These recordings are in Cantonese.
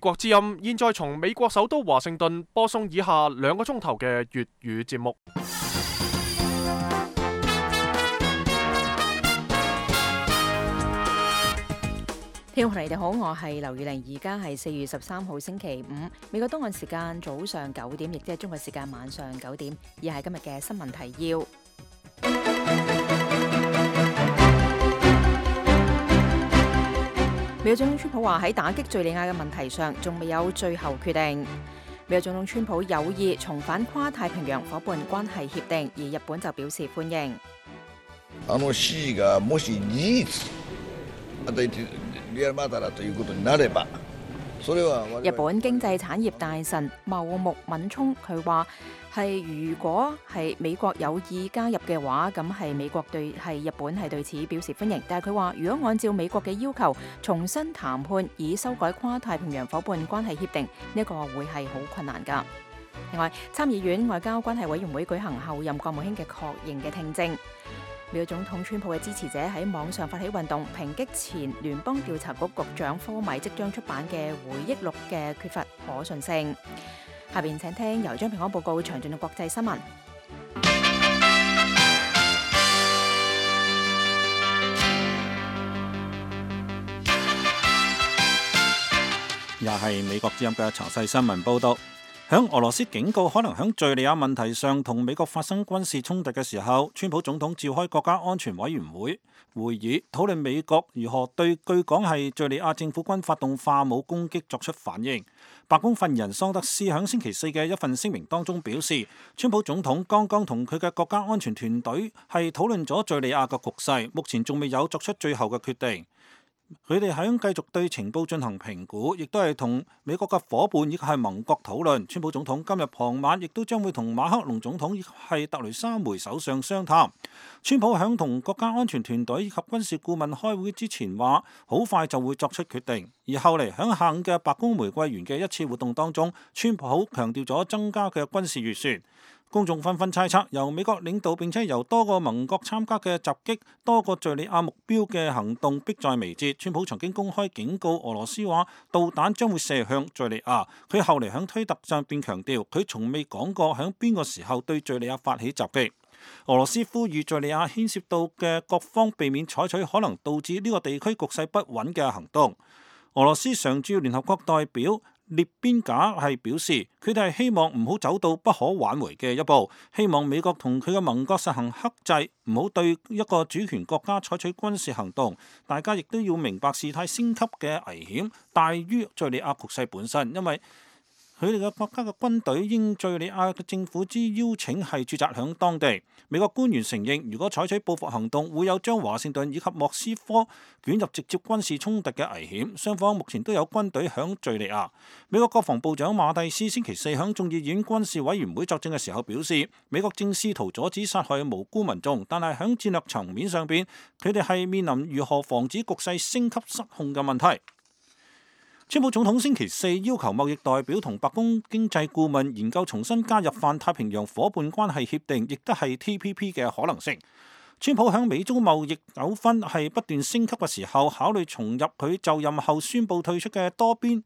國之音現在從美國首都華盛頓播送以下2個鐘頭嘅粵語節目。聽眾朋友你哋好，我係劉宇玲，而家係4月13號星期五，美國東岸時間早上9點，亦即係中國時間晚上9點，以下係今日嘅新聞提要。美國總統川普話喺打擊敘利亞嘅問題上仲未有最後決定。美國總統川普有意重返跨太平洋夥伴關係協定，而日本就表示歡迎。C がもし事実リアルマターだということになれば、それは日本經濟產業大臣茂木敏充佢話如果係美國有意加入嘅話，咁係日本係對此表示歡迎。但係佢話如果按照美國嘅要求重新談判以修改跨太平洋夥伴關係協定，呢個會係好困難㗎。另外，參議院外交關係委員會舉行後任國務卿嘅確認嘅聽證。美國總統川普嘅支持者喺網上發起運動，抨擊前聯邦調查局局長科米即將出版嘅回憶錄嘅缺乏可信性。下邊請聽由張平安報告詳盡嘅國際新聞。又係美國之音嘅詳細新聞報道。響俄羅斯警告可能響敘利亞問題上同美國發生軍事衝突嘅時候，川普總統召開國家安全委員會會議，討論美國如何對據講係敘利亞政府軍發動化武攻擊作出反應。白宮發言人桑德斯響星期4嘅一份聲明當中表示，川普總統剛剛同佢嘅國家安全團隊係討論咗敘利亞嘅局勢，目前仲未有作出最後嘅決定。佢哋響繼續對情報進行評估，亦都係同美國嘅夥伴以及係盟國討論。川普總統今日傍晚亦都將會同馬克龍總統以及係特雷莎梅首相商談。川普響同國家安全團隊以及軍事顧問開會之前話，好快就會作出決定。而後嚟響下午嘅白宮玫瑰園嘅一次活動當中，川普強調咗增加嘅軍事預算。公眾紛紛猜測，由美國領導並且由多個盟國參加嘅襲擊多個敘利亞目標嘅行動迫在眉睫。川普曾經公開警告俄羅斯話，導彈將會射向敘利亞。佢後嚟喺推特上邊強調，佢從未講過喺邊個時候對敘利亞發起襲擊。俄羅斯呼籲敘利亞牽涉到嘅各方避免採取可能導致呢個地區局勢不穩嘅行動。俄羅斯常駐聯合國代表列邊賈係表示，佢哋係希望唔好走到不可挽回嘅一步，希望美國同佢嘅盟國實行克制，唔好對一個主權國家採取軍事行動。大家亦都要明白事態升級嘅危險大於敘利亞局勢本身，因為佢哋嘅國家嘅軍隊應敘利亞嘅政府之邀請係駐紮響當地。美國官員承認，如果採取報復行動，會有將華盛頓以及莫斯科捲入直接軍事衝突嘅危險。雙方目前都有軍隊響敘利亞。美國國防部長馬蒂斯星期4響眾議院軍事委員會作證嘅時候表示，美國正試圖阻止殺害無辜民眾，但係響戰略層面上邊，佢哋係面臨如何防止局勢升級失控嘅問題。川普總統星期4要求貿易代表同白宮經濟顧問研究重新加入泛太平洋夥伴關係協定，亦都係 TPP 嘅可能性。川普響美中貿易糾紛係不斷升級嘅時候，考慮重入佢就任後宣布退出嘅多邊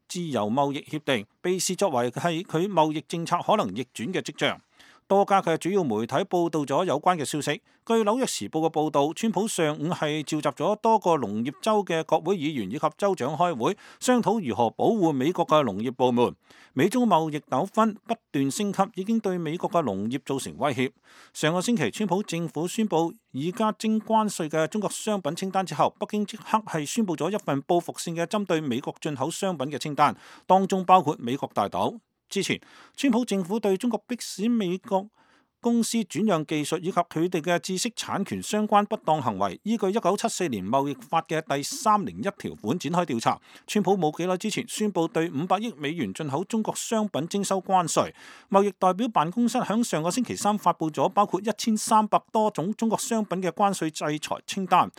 自由貿易協定，被視作為係佢貿易政策可能逆轉嘅跡象。多家嘅主要媒體報道咗有關嘅消息。據紐約時報嘅報導，川普上午係召集咗多個農業州嘅國會議員以及州長開會，商討如何保護美國嘅農業部門。美中貿易糾紛不斷升級，已經對美國嘅農業造成威脅。上個星期，川普政府宣布已加徵關稅嘅中國商品清單之後，北京即刻係宣布咗一份報復性嘅針對美國進口商品嘅清單，當中包括美國大豆。之前，川普政府對中國迫使美國公司轉讓技術以及佢哋嘅知識產權相關不當行為，依據1974年貿易法嘅第301條款展開調查。川普冇幾耐之前宣布對500億美元進口中國商品徵收關稅。貿易代表辦公室響上個星期3發布咗包括1300多種中國商品嘅關稅制裁清單。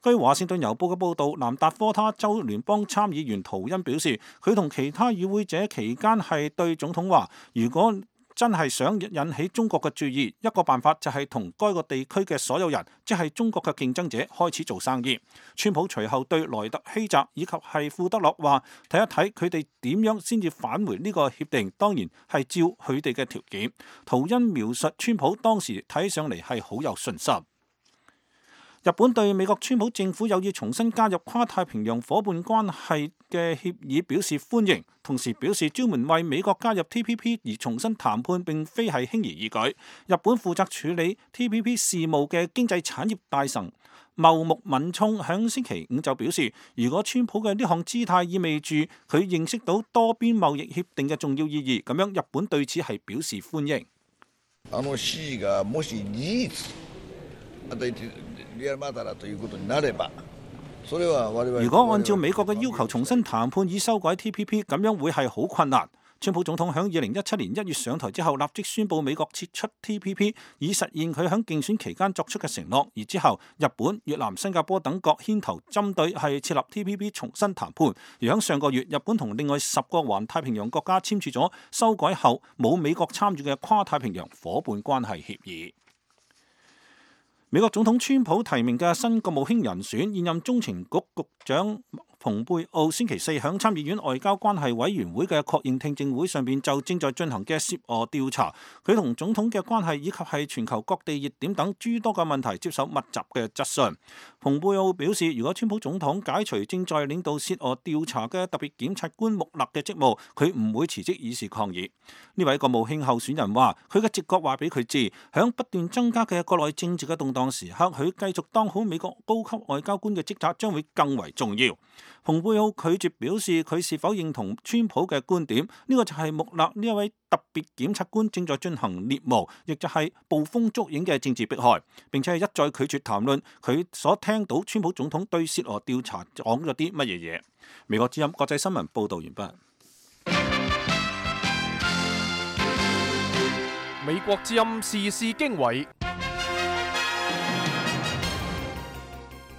據華盛頓郵報嘅報導，南達科他州聯邦參議員圖恩表示，佢同其他與會者期間係對總統話，如果真係想引起中國嘅注意，一個辦法就係同該個地區嘅所有人，即係中國嘅競爭者開始做生意。川普隨後對萊特希澤以及係庫德洛話，睇一睇佢哋點樣先至返回呢個協定，當然係照佢哋嘅條件。圖恩描述川普當時睇上嚟係好有信心。日本對美國川普政府有意重新加入跨太平洋夥伴關係嘅協議表示歡迎，同時表示專門為美國加入 TPP 而重新談判並非係輕而易舉。日本負責處理 TPP 事務嘅經濟產業大臣茂木敏充響星期五就表示，如果川普嘅呢項姿態意味住佢認識到多邊貿易協定嘅重要意義，咁樣日本對此係表示歡迎。Cがもし事実如果按照美國嘅要求重新談判以修改 TPP， 咁樣會係好困難。川普總統喺2017年1月上台之後，立即宣布美國撤出 TPP， 以實現佢喺競選期間作出嘅承諾。而之後，日本、越南、新加坡等國牽頭針對係設立 TPP 重新談判。而喺上個月，日本同另外10個環太平洋國家簽署咗修改後冇美國參與嘅跨太平洋夥伴關係協議。美國總統川普提名嘅新國務卿人選，現任中情局局長蓬佩奧星期四響參議院外交關係委員會嘅確認聽證會上邊就正在進行嘅涉俄調查，佢同總統嘅關係以及係全球各地熱點等諸多嘅問題接受密集嘅質詢。蓬佩奧表示，如果川普總統解除正在領導涉俄調查嘅特別檢察官穆勒嘅職務，佢唔會辭職以示抗議。呢位國務卿候選人話，佢嘅直覺話俾佢知，響不斷增加嘅國內政治嘅動盪時刻，佢繼續當好美國高級外交官嘅職責將會更為重要。蓬佩奧拒絕表示佢是否認同川普嘅觀點，呢個就係穆勒呢一位特別檢察官正在進行獵巫，亦就係捕風捉影嘅政治迫害，並且係一再拒絕談論佢所聽到川普總統對涉俄調查講咗啲乜嘢嘢。美國之音國際新聞報導完畢。美國之音時事經緯。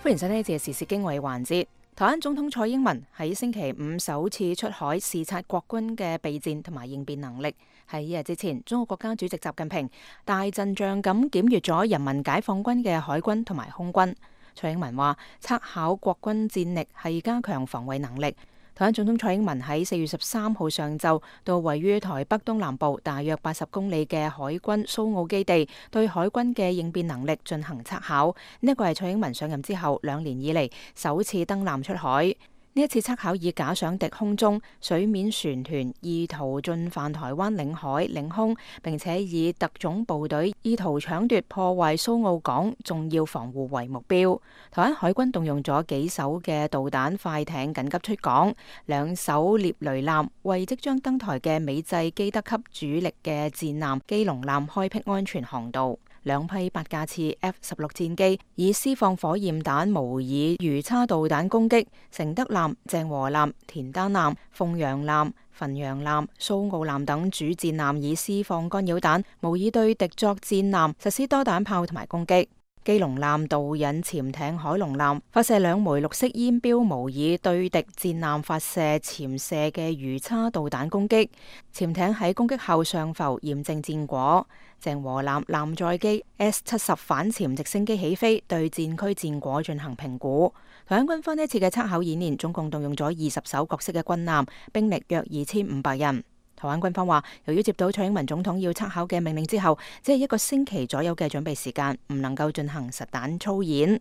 歡迎收聽呢次嘅時事經緯環節。台灣總統蔡英文喺星期五首次出海視察國軍嘅備戰同埋應變能力。喺一日之前，中國國家主席習近平大陣仗咁檢閱咗人民解放軍嘅海軍同埋空軍。蔡英文話，測考國軍戰力係加強防衛能力。台灣總統蔡英文喺4月13號上晝到位於台北東南部大約80公里嘅海軍蘇澳基地，對海軍嘅應變能力進行測考。呢一個係蔡英文上任之後2年以嚟首次登艦出海。呢一次測考以假想敵空中、水面船團意圖進犯台灣領海、領空，並且以特種部隊意圖搶奪破壞蘇澳港重要防護為目標。台灣海軍動用咗幾艘嘅導彈快艇緊急出港，2艘獵雷艦為即將登台嘅美製基德級主力嘅戰艦基隆艦開闢安全航道。2批8架次 F-16 戰機以施放火焰彈模擬魚叉導彈攻擊承德艦、鄭和艦、田單艦、鳳陽艦、汾陽艦、蘇澳艦等主戰艦以施放干擾彈模擬對敵作戰艦實施多彈炮同埋攻擊。基隆艦導引潛艇海龍艦發射2枚綠色煙標模擬對敵戰艦發射潛射嘅魚叉導彈攻擊，潛艇喺攻擊後上浮驗證戰果。鄭和艦艦載機 S-70 反潛直升機起飛，對戰區戰果進行評估。台灣軍方呢次嘅測考演練總共動用咗20艘各式嘅軍艦，兵力約2500人。台灣軍方話，由於接到蔡英文總統要測考嘅命令之後，只係1個星期左右嘅準備時間，唔能夠進行實彈操演。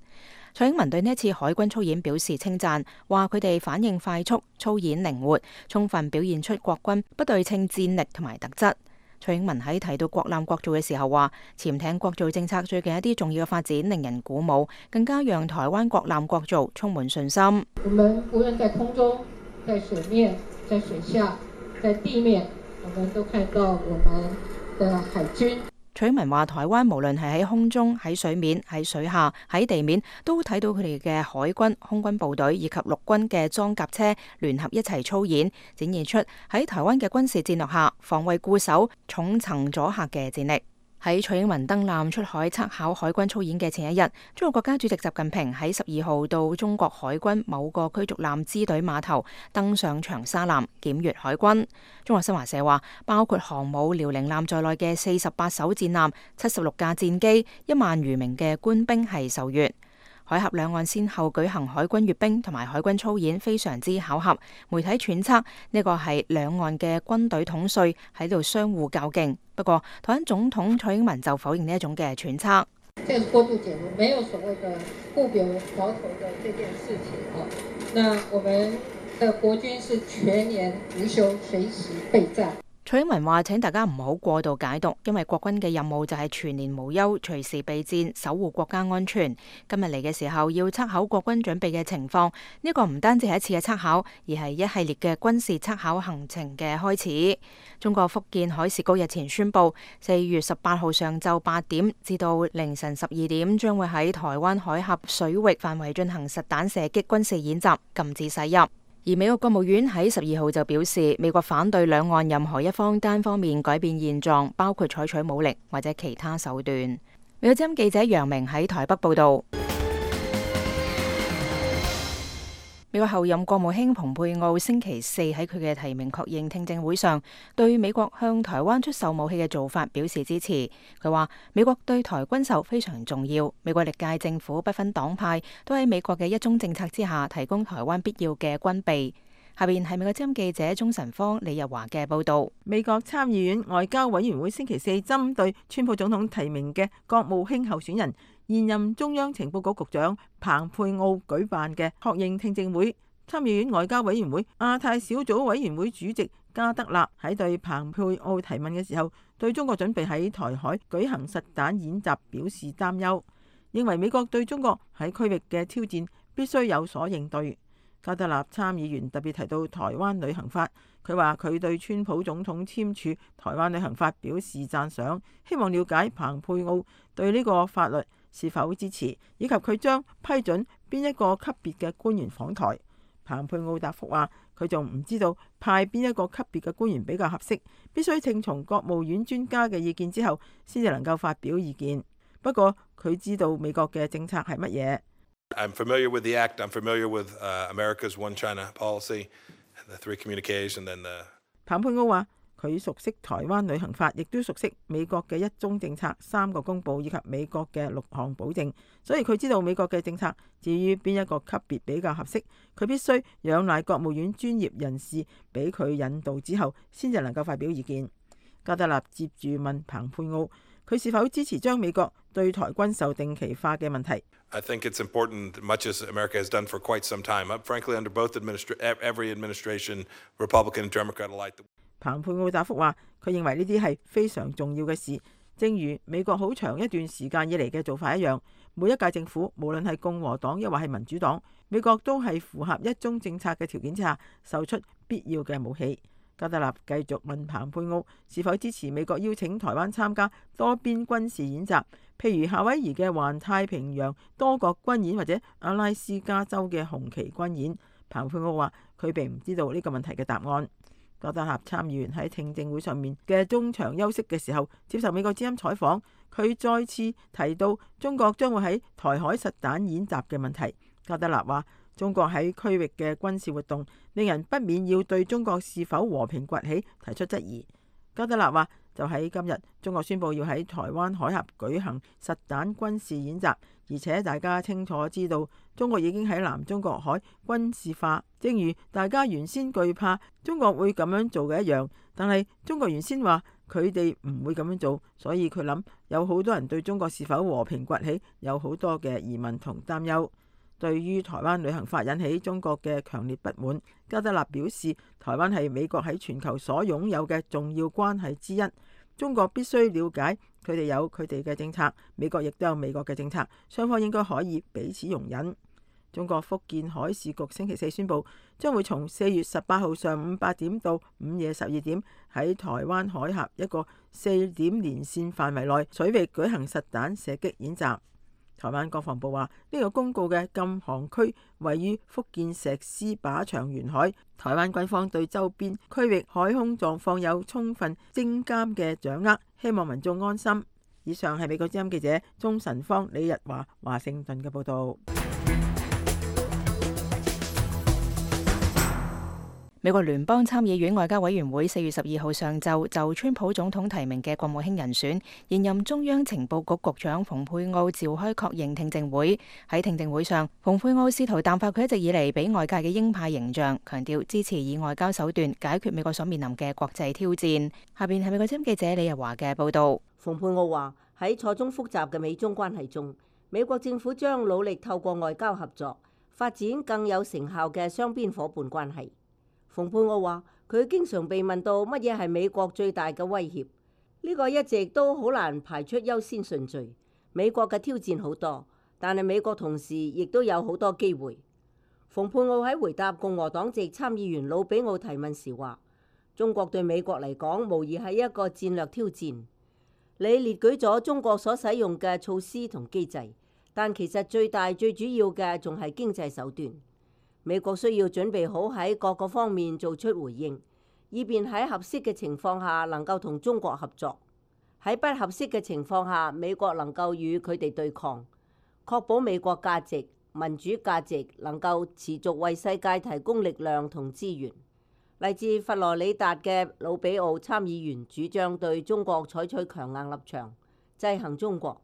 蔡英文對呢一次海軍操演表示稱讚，話佢哋反應快速、操演靈活，充分表現出國軍不對稱戰力同埋特質。蔡英文喺提到國艦國造嘅時候話，潛艇國造政策最近一啲重要嘅發展令人鼓舞，更加讓台灣國艦國造充滿信心。我們無論在空中、在水面、在水下、在地面，我們都看到我們的海軍。蔡英文話，台灣無論係喺空中、喺水面、喺水下、喺地面，都睇到佢哋嘅海軍、空軍部隊以及陸軍嘅裝甲車聯合一齊操演，展現出喺台灣嘅軍事戰略下防衛固守、重層阻嚇嘅戰力。喺蔡英文登艦出海測考海軍操演嘅前一日，中國國家主席習近平喺12號到中國海軍某個驅逐艦支隊碼頭登上長沙艦檢閱海軍。中國新華社話，包括航母遼寧艦在內嘅48艘戰艦、76架戰機、1萬餘名嘅官兵係受閱。海峽兩岸先後舉行海軍閱兵同埋海軍操演，非常之巧合。媒體揣測呢個係兩岸嘅軍隊統帥喺度相互較勁。不過，台灣總統蔡英文就否認呢一種嘅揣測。這個過度解讀，沒有所謂的不表矛頭的這件事情。那我們的國軍是全年無休，隨時備戰。蔡英文話：請大家唔好過度解讀，因為國軍嘅任務就係全年無休，隨時備戰，守護國家安全。今日嚟嘅時候要測考國軍準備嘅情況，呢個唔單止係一次嘅測考，而係一系列嘅軍事測考行程嘅開始。中國福建海事局日前宣布，4月18號上晝8點至到凌晨12點，將會喺台灣海峽水域範圍進行實彈射擊軍事演習，禁止駛入。而美國國務院喺12號就表示，美國反對兩岸任何一方單方面改變現狀，包括採取武力或者其他手段。美國之音記者楊明喺台北報道。美國後任國務卿蓬佩奧星期四喺佢嘅提名確認聽證會上，對美國向台灣出售武器嘅做法表示支持。佢話：美國對台軍售非常重要，美國歷屆政府不分黨派都喺美國嘅一中政策之下提供台灣必要嘅軍備。下邊係美國之音記者鍾晨芳、李日華嘅報道。美國參議院外交委員會星期四針對川普總統提名嘅國務卿候選人，現任中央情報局局長彭佩奧舉辦嘅確認聽證會。參議院外交委員會亞太小組委員會主席加德納喺對彭佩奧提問嘅時候，對中國準備喺台海舉行實彈演習表示擔憂，認為美國對中國喺區域嘅挑戰必須有所應對。加德納參議員特別提到台灣旅行法，佢話佢對川普總統簽署台灣旅行法表示讚賞，希望了解彭佩奧對呢個法律是否支持，以及佢將批准邊一個級別嘅官員訪台。彭佩奧答覆話，佢仲唔知道派邊一個級別嘅官員比較合適，必須聽從國務院專家嘅意見之後，先至能夠發表意見。不過佢知道美國嘅政策係乜嘢。I'm familiar with the act. I'm familiar with America's One China policy, the three communiques, and then the. 彭佩奧話：佢熟悉台灣旅行法，亦都熟悉美國嘅一中政策、3個公佈以及美國嘅6項保證，所以佢知道美國嘅政策。至於邊一個級別比較合適，佢必須仰賴國務院專業人士俾佢引導之後，先至能夠發表意見。加德納接住問彭佩奧，佢是否支持將美國對台軍售定期化嘅問題。I think it's important, much as America has done for quite some time. Frankly, under both every administration, Republican and Democrat alike. 彭佩奧答覆話：佢認為呢啲係非常重要嘅事，正如美國好長一段時間以嚟嘅做法一樣。每一屆政府，無論係共和黨抑或係民主黨，美國都係符合一中政策嘅條件之下，售出必要嘅武器。加德納繼續問彭佩奧是否支持美國邀請台灣參加多邊軍事演習，譬如夏威夷嘅環太平洋多國軍演或者阿拉斯加州嘅紅旗軍演。彭佩奧話佢並唔知道呢個問題嘅答案。加德納參議員喺聽證會上面嘅中場休息嘅時候，接受美國之音採訪，佢再次提到中國將會喺台海實彈演習嘅問題。加德納話：中國喺區域嘅軍事活動，令人不免要對中國是否和平崛起提出質疑。加德納話：就喺今日，中國宣布要喺台灣海峽舉行實彈軍事演習，而且大家清楚知道，中國已經喺南中國海軍事化，正如大家原先懼怕中國會咁樣做嘅一樣。但係中國原先話佢哋唔會咁樣做，所以佢諗有好多人對中國是否和平崛起有好多嘅疑問同擔憂。對於台灣旅行法引起中國嘅強烈不滿，加德納表示，台灣係美國喺全球所擁有嘅重要關係之一，中國必須了解佢哋有佢哋嘅政策，美國亦都有美國嘅政策，雙方應該可以彼此容忍。中國福建海事局星期四宣布，將會從4月18號上午8點到午夜12點喺台灣海峽一個4點連線範圍內水域舉行實彈射擊演習。台灣國防部話，呢個公告嘅禁航區位於福建石獅靶場沿海，台灣軍方對周邊區域海空狀況有充分偵監嘅掌握，希望民眾安心。以上係美國之音記者鍾晨芳、李日華華盛頓嘅報導。美國聯邦參議院外交委員會4月12號上晝就川普總統提名嘅國務卿人選，現任中央情報局局長蓬佩奧召開確認聽證會。喺聽證會上，蓬佩奧試圖淡化佢一直以嚟俾外界嘅鷹派形象，強調支持以外交手段解決美國所面臨嘅國際挑戰。下邊係美國之音記者李日華嘅報導。蓬佩奧話喺錯綜複雜嘅美中關係中，美國政府將努力透過外交合作發展更有成效嘅雙邊夥伴關係。蓬佩奧話：佢經常被問到乜嘢係美國最大嘅威脅，呢個一直都好難排出優先順序。美國嘅挑戰好多，但係美國同時亦都有好多機會。蓬佩奧喺回答共和黨籍參議員魯比奧提問時話：中國對美國嚟講無疑係一個戰略挑戰。你列舉咗中國所使用嘅措施同機制，但其實最大最主要嘅仲係經濟手段。美國需要準備好喺各個方面做出回應，以便喺合適嘅情況下能夠同中國合作；喺不合適嘅情況下，美國能夠與佢哋對抗，確保美國價值、民主價值能夠持續為世界提供力量同資源。嚟自佛羅里達嘅魯比奧參議員主張對中國採取強硬立場，制衡中國。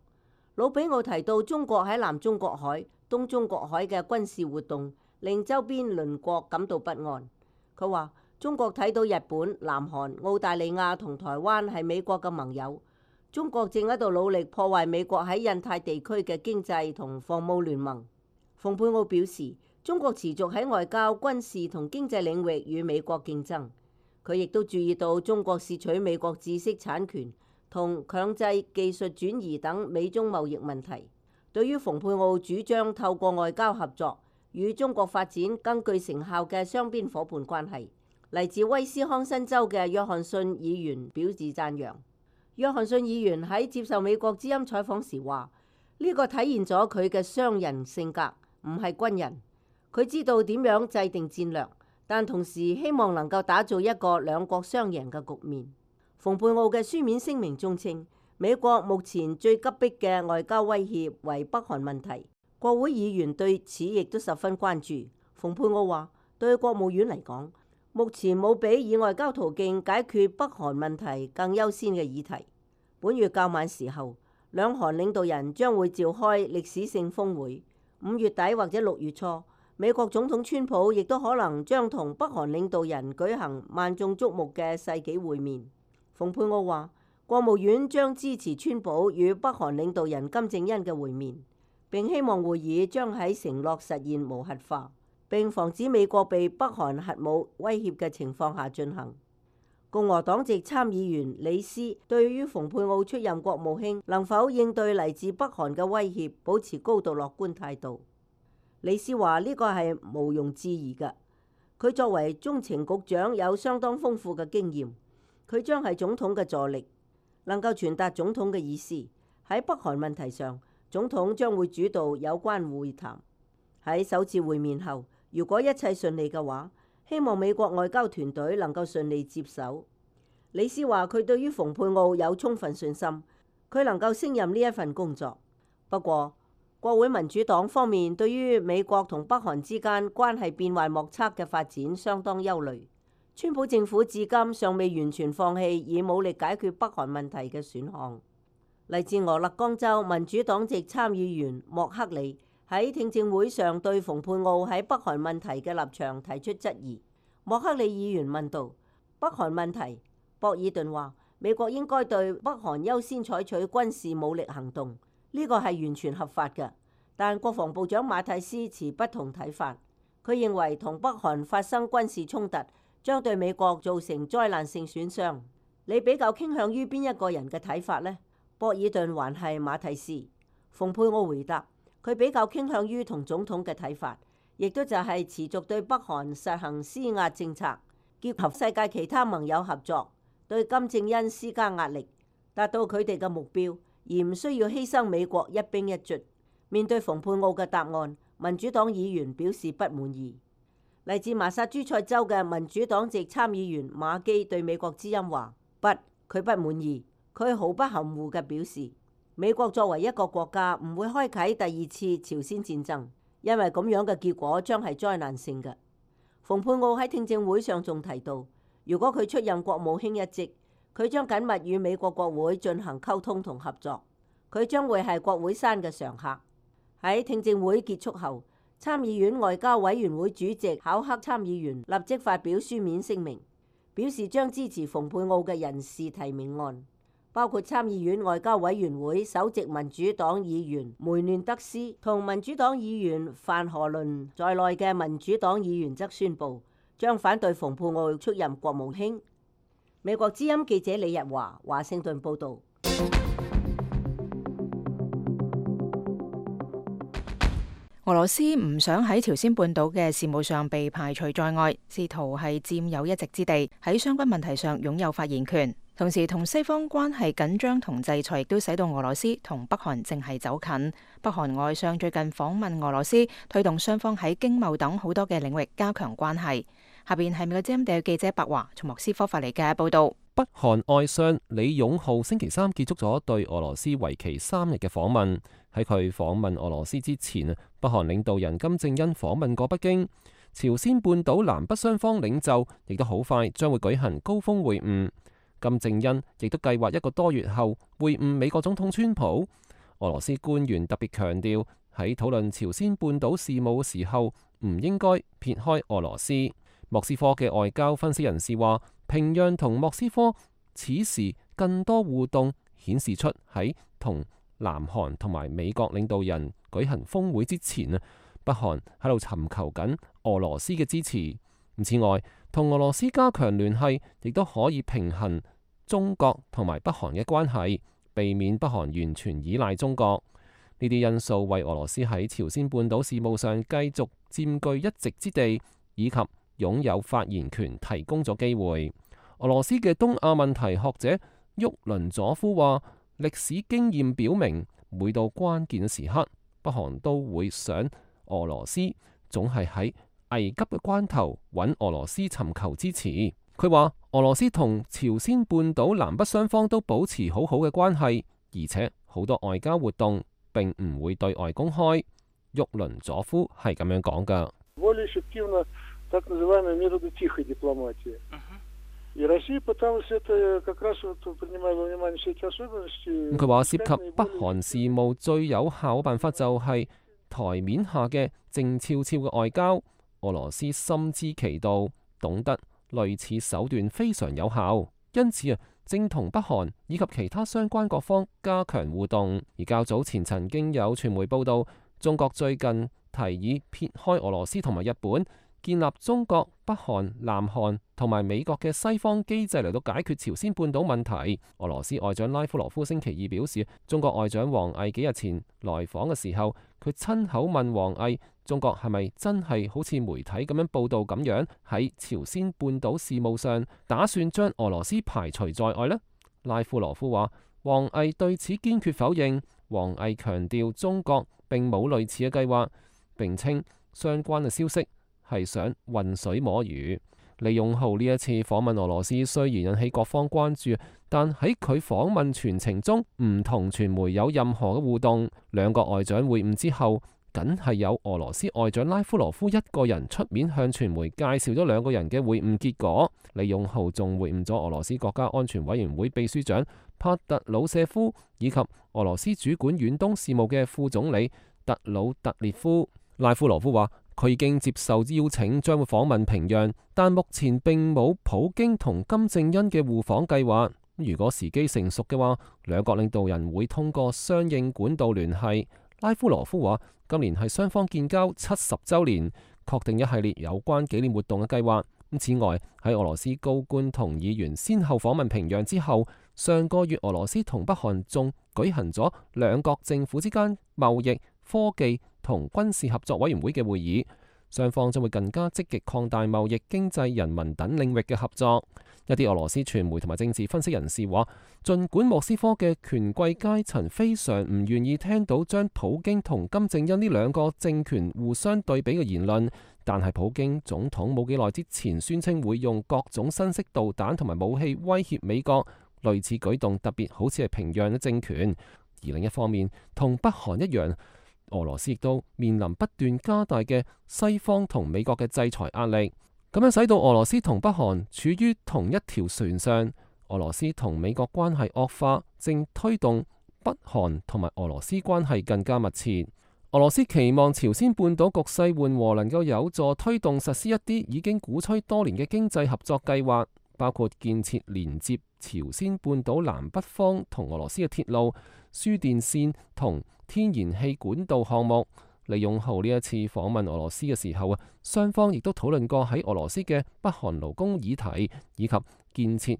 魯比奧提到中國喺南中國海、東中國海嘅軍事活動，令周邊鄰國感到不安。佢話：中國睇到日本、南韓、澳大利亞同台灣係美國嘅盟友，中國正喺度努力破壞美國喺印太地區嘅經濟同防務聯盟。蓬佩奧表示，中國持續喺外交、軍事同經濟領域與美國競爭。佢亦都注意到中國竊取美國知識產權同強制技術轉移等美中貿易問題。對於蓬佩奧主張透過外交合作與中國發展更具成效嘅雙邊夥伴關係，嚟自威斯康辛州嘅約翰遜議員表示讚揚。約翰遜議員喺接受美國之音採訪時話：呢個體現咗佢嘅商人性格，唔係軍人。佢知道點樣制定戰略，但同時希望能夠打造一個兩國雙贏嘅局面。蓬佩奧嘅書面聲明中稱，美國目前最急迫嘅外交威脅為北韓問題。國會議員對此亦都十分關注。蓬佩奧話：對國務院嚟講，目前冇比以外交途徑解決北韓問題更優先嘅議題。本月較晚時候，兩韓領導人將會召開歷史性峰會。5月底或者6月初，美國總統川普亦都可能將同北韓領導人舉行萬眾矚目嘅世紀會面。蓬佩奧話：國務院將支持川普與北韓領導人金正恩嘅會面。並希望會議將喺承諾實現無核化，並防止美國被北韓核武威脅嘅情況下進行。共和黨籍參議員李斯對於蓬佩奧出任國務卿能否應對嚟自北韓嘅威脅，保持高度樂觀態度。李斯話：呢個係毋庸置疑嘅。佢作為中情局長有相當豐富嘅經驗，佢將係總統嘅助力，能夠傳達總統嘅意思。喺北韓問題上，總統將會主導有關會談。喺首次會面後，如果一切順利嘅話，希望美國外交團隊能夠順利接手。李斯話：佢對於蓬佩奧有充分信心，佢能夠勝任呢一份工作。不過，國會民主黨方面對於美國同北韓之間關係變幻莫測嘅發展相當憂慮。川普政府至今尚未完全放棄以武力解決北韓問題嘅選項。嚟自俄勒岡州民主黨籍參議員莫克利喺聽證會上對蓬佩奧喺北韓問題嘅立場提出質疑。莫克利議員問道：北韓問題，博爾頓話美國應該對北韓優先採取軍事武力行動，呢個係完全合法嘅。但國防部長馬蒂斯持不同睇法，佢認為同北韓發生軍事衝突將對美國造成災難性損傷。你比較傾向於邊一個人嘅睇法呢？博爾頓還係馬蒂斯？蓬佩奧回答：佢比較傾向於同總統嘅睇法，亦都就係持續對北韓實行施壓政策，結合世界其他盟友合作，對金正恩施加壓力，達到佢哋嘅目標，而唔需要犧牲美國一兵一卒。面對蓬佩奧嘅答案，民主黨議員表示不滿意。嚟自麻薩諸塞州嘅民主黨籍參議員馬基對美國之音話：不，佢不滿意。佢毫不含糊嘅表示，美國作為一個國家唔會開啟第二次朝鮮戰爭，因為咁樣嘅結果將係災難性嘅。蓬佩奧喺聽證會上仲提到，如果佢出任國務卿一職，佢將緊密與美國國會進行溝通同合作，佢將會係國會山嘅常客。喺聽證會結束後，參議院外交委員會主席考克參議員立即發表書面聲明，表示將支持蓬佩奧嘅人事提名案，包括參議院外交委員會首席民主黨議員梅嫩德斯同民主黨議員范荷倫在內嘅民主黨議員則宣布將反對蓬佩奧出任國務卿。美國之音記者李日華華盛頓報導。俄羅斯唔想喺朝鮮半島嘅事務上被排除在外，試圖係佔有一席之地，喺相關問題上擁有發言權。同時同西方關係緊張同制裁亦都使到俄羅斯同北韓正係走近。北韓外相最近訪問俄羅斯，推動雙方喺經貿等好多嘅領域加強關係。下邊係美國之音記者白華從莫斯科發嚟嘅報道。北韓外相李勇浩星期三結束咗對俄羅斯為期3日嘅訪問。喺佢訪問俄羅斯之前，北韓領導人金正恩訪問過北京。朝鮮半島南北雙方領袖亦都好快將會舉行高峰會晤。金正恩亦都計劃1個多月後會晤美國總統川普。俄羅斯官員特別強調，喺討論朝鮮半島事務嘅時候，唔應該撇開俄羅斯。莫斯科嘅外交分析人士話，平壤同莫斯科此時更多互動，顯示出喺同南韓同埋美國領導人舉行峰會之前，北韓喺度尋求緊俄羅斯嘅支持。此外，同俄羅斯加強聯繫，亦都可以平衡中國同埋北韓嘅關係，避免北韓完全依賴中國。呢啲因素為俄羅斯喺朝鮮半島事務上繼續佔據一席之地，以及擁有發言權提供咗機會。俄羅斯嘅東亞問題學者沃倫佐夫話，歷史經驗表明，每到關鍵時刻，北韓都會想俄羅斯總係喺危急嘅關頭揾俄羅斯尋求支持。佢話俄羅斯同朝鮮半島南北雙方都保持好好嘅關係，而且好多外交活動並唔會對外公開。沃倫佐夫係咁樣講㗎。佢話涉及北韓事務最有效嘅辦法就係台面下嘅靜悄悄嘅外交。俄羅斯深知其道，懂得類似手段非常有效，因此正同北韓以及其他相關各方加強互動。而較早前曾經有傳媒報道，中國最近提議撇開俄羅斯同埋日本，建立中國、北韓、南韓同埋美國嘅西方機制嚟到解決朝鮮半島問題。俄羅斯外長拉夫羅夫星期二表示，中國外長王毅幾日前來訪嘅時候，佢親口問王毅，中國係咪真係好似媒體咁樣報道咁樣，喺朝鮮半島事務上打算將俄羅斯排除在外呢？拉夫羅夫話，王毅對此堅決否認。王毅強調中國並冇類似嘅計劃，並稱相關嘅消息係想渾水摸魚。李勇浩呢一次訪問俄羅斯雖然引起各方關注，但喺佢訪問全程中唔同傳媒有任何嘅互動。兩個外長會晤之後，僅係有俄羅斯外長拉夫羅夫一個人出面向傳媒介紹咗兩個人嘅會晤結果。李勇浩仲會晤咗俄羅斯國家安全委員會秘書長帕特魯舍夫，以及俄羅斯主管遠東事務嘅副總理特魯特列夫。拉夫羅夫話，佢已經接受邀請，將會訪問平壤，但目前並冇普京同金正恩嘅互訪計劃。如果時機成熟嘅話，兩國領導人會通過相應管道聯繫。拉夫羅夫話，今年係雙方建交70週年，確定一系列有關紀念活動嘅計劃。此外，喺俄羅斯高官同議員先後訪問平壤之後，上個月俄羅斯同北韓仲舉行咗兩國政府之間貿易、科技同軍事合作委員會嘅會議，雙方將會更加積極擴大貿易、經濟、人民等領域嘅合作。一啲俄羅斯傳媒同埋政治分析人士話，儘管莫斯科嘅權貴階層非常唔願意聽到將普京同金正恩呢兩個政權互相對比嘅言論，但係普京總統冇幾耐之前宣稱會用各種新式導彈同埋武器威脅美國，類似舉動特別好似係平壤嘅政權。而另一方面，同北韓一樣，俄羅斯亦都面臨不斷加大嘅西方同美國嘅制裁壓力，咁樣使到俄羅斯同北韓處於同一條船上。俄羅斯同美國關係惡化，正推動北韓同埋俄羅斯關係更加密切。俄羅斯期望朝鮮半島局勢緩和，能夠有助推動實施一啲已經鼓吹多年嘅經濟合作計劃，包括建設連接朝鮮半島南北方同俄羅斯嘅鐵路、輸電線同天然氣管道項目。李勇浩呢一次訪問俄羅斯嘅時候雙方亦都討論過喺俄羅斯嘅北韓勞工議題，以及建設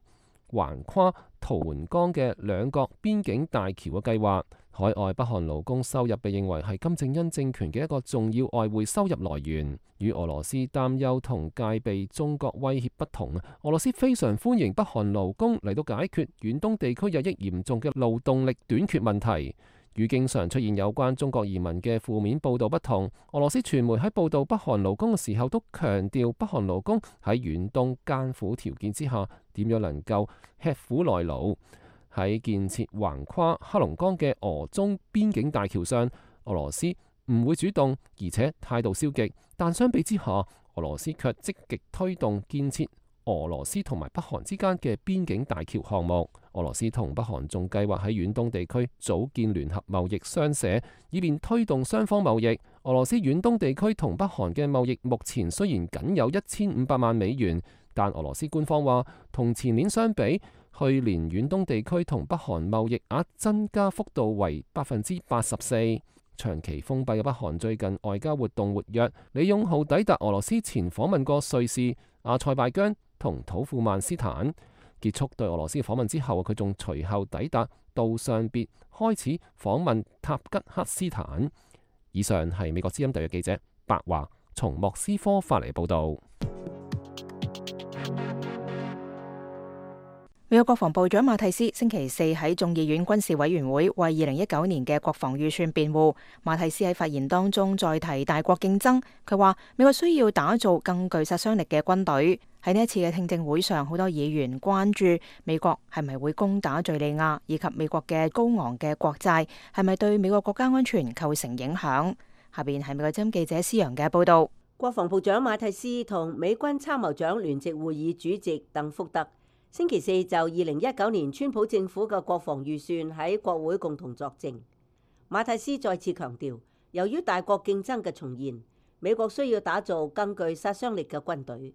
橫跨圖們江嘅兩國邊境大橋嘅計劃。海外北韓勞工收入被認為係金正恩政權嘅一個重要外匯收入來源。與俄羅斯擔憂同戒備中國威脅不同，俄羅斯非常歡迎北韓勞工嚟到解決遠東地區日益嚴重嘅勞動力短缺問題。與經常出現有關中國移民嘅負面報導不同，俄羅斯傳媒喺報導北韓勞工嘅時候都強調北韓勞工喺遠東艱苦條件之下點樣能夠吃苦耐勞。喺建設橫跨黑龍江嘅俄中邊境大橋上，俄羅斯唔會主動，而且態度消極，但相比之下，俄羅斯卻積極推動建設俄羅斯同埋北韓之間嘅邊境大橋項目。俄羅斯同北韓仲計劃喺遠東地區組建聯合貿易商社，以便推動雙方貿易。俄羅斯遠東地區同北韓嘅貿易目前雖然僅有1500萬美元，但俄羅斯官方話同前年相比，去年遠東地區同北韓貿易額增加幅度為84%。長期封閉嘅北韓最近外交活動活躍。李勇浩抵達俄羅斯前訪問過瑞士、阿塞拜疆同土庫曼斯坦。結束對俄羅斯嘅訪問之後，佢仲隨後抵達杜尚別，開始訪問塔吉克斯坦。以上係美國之音特約記者白華從莫斯科發嚟報導。美國國防部長馬蒂斯星期四喺眾議院軍事委員會為2019年嘅國防預算辯護。馬蒂斯喺發言當中再提大國競爭，佢話美國需要打造更具殺傷力嘅軍隊。喺呢一次嘅聽證會上，好多議員關注美國係咪會攻打敘利亞，以及美國嘅高昂嘅國債係咪對美國國家安全構成影響。下邊係美國之音記者施陽嘅報道。國防部長馬蒂斯同美軍參謀長聯席會議主席鄧福德星期四就2019年川普政府嘅國防預算喺國會共同作證。馬蒂斯再次強調，由於大國競爭嘅重現，美國需要打造更具殺傷力嘅軍隊。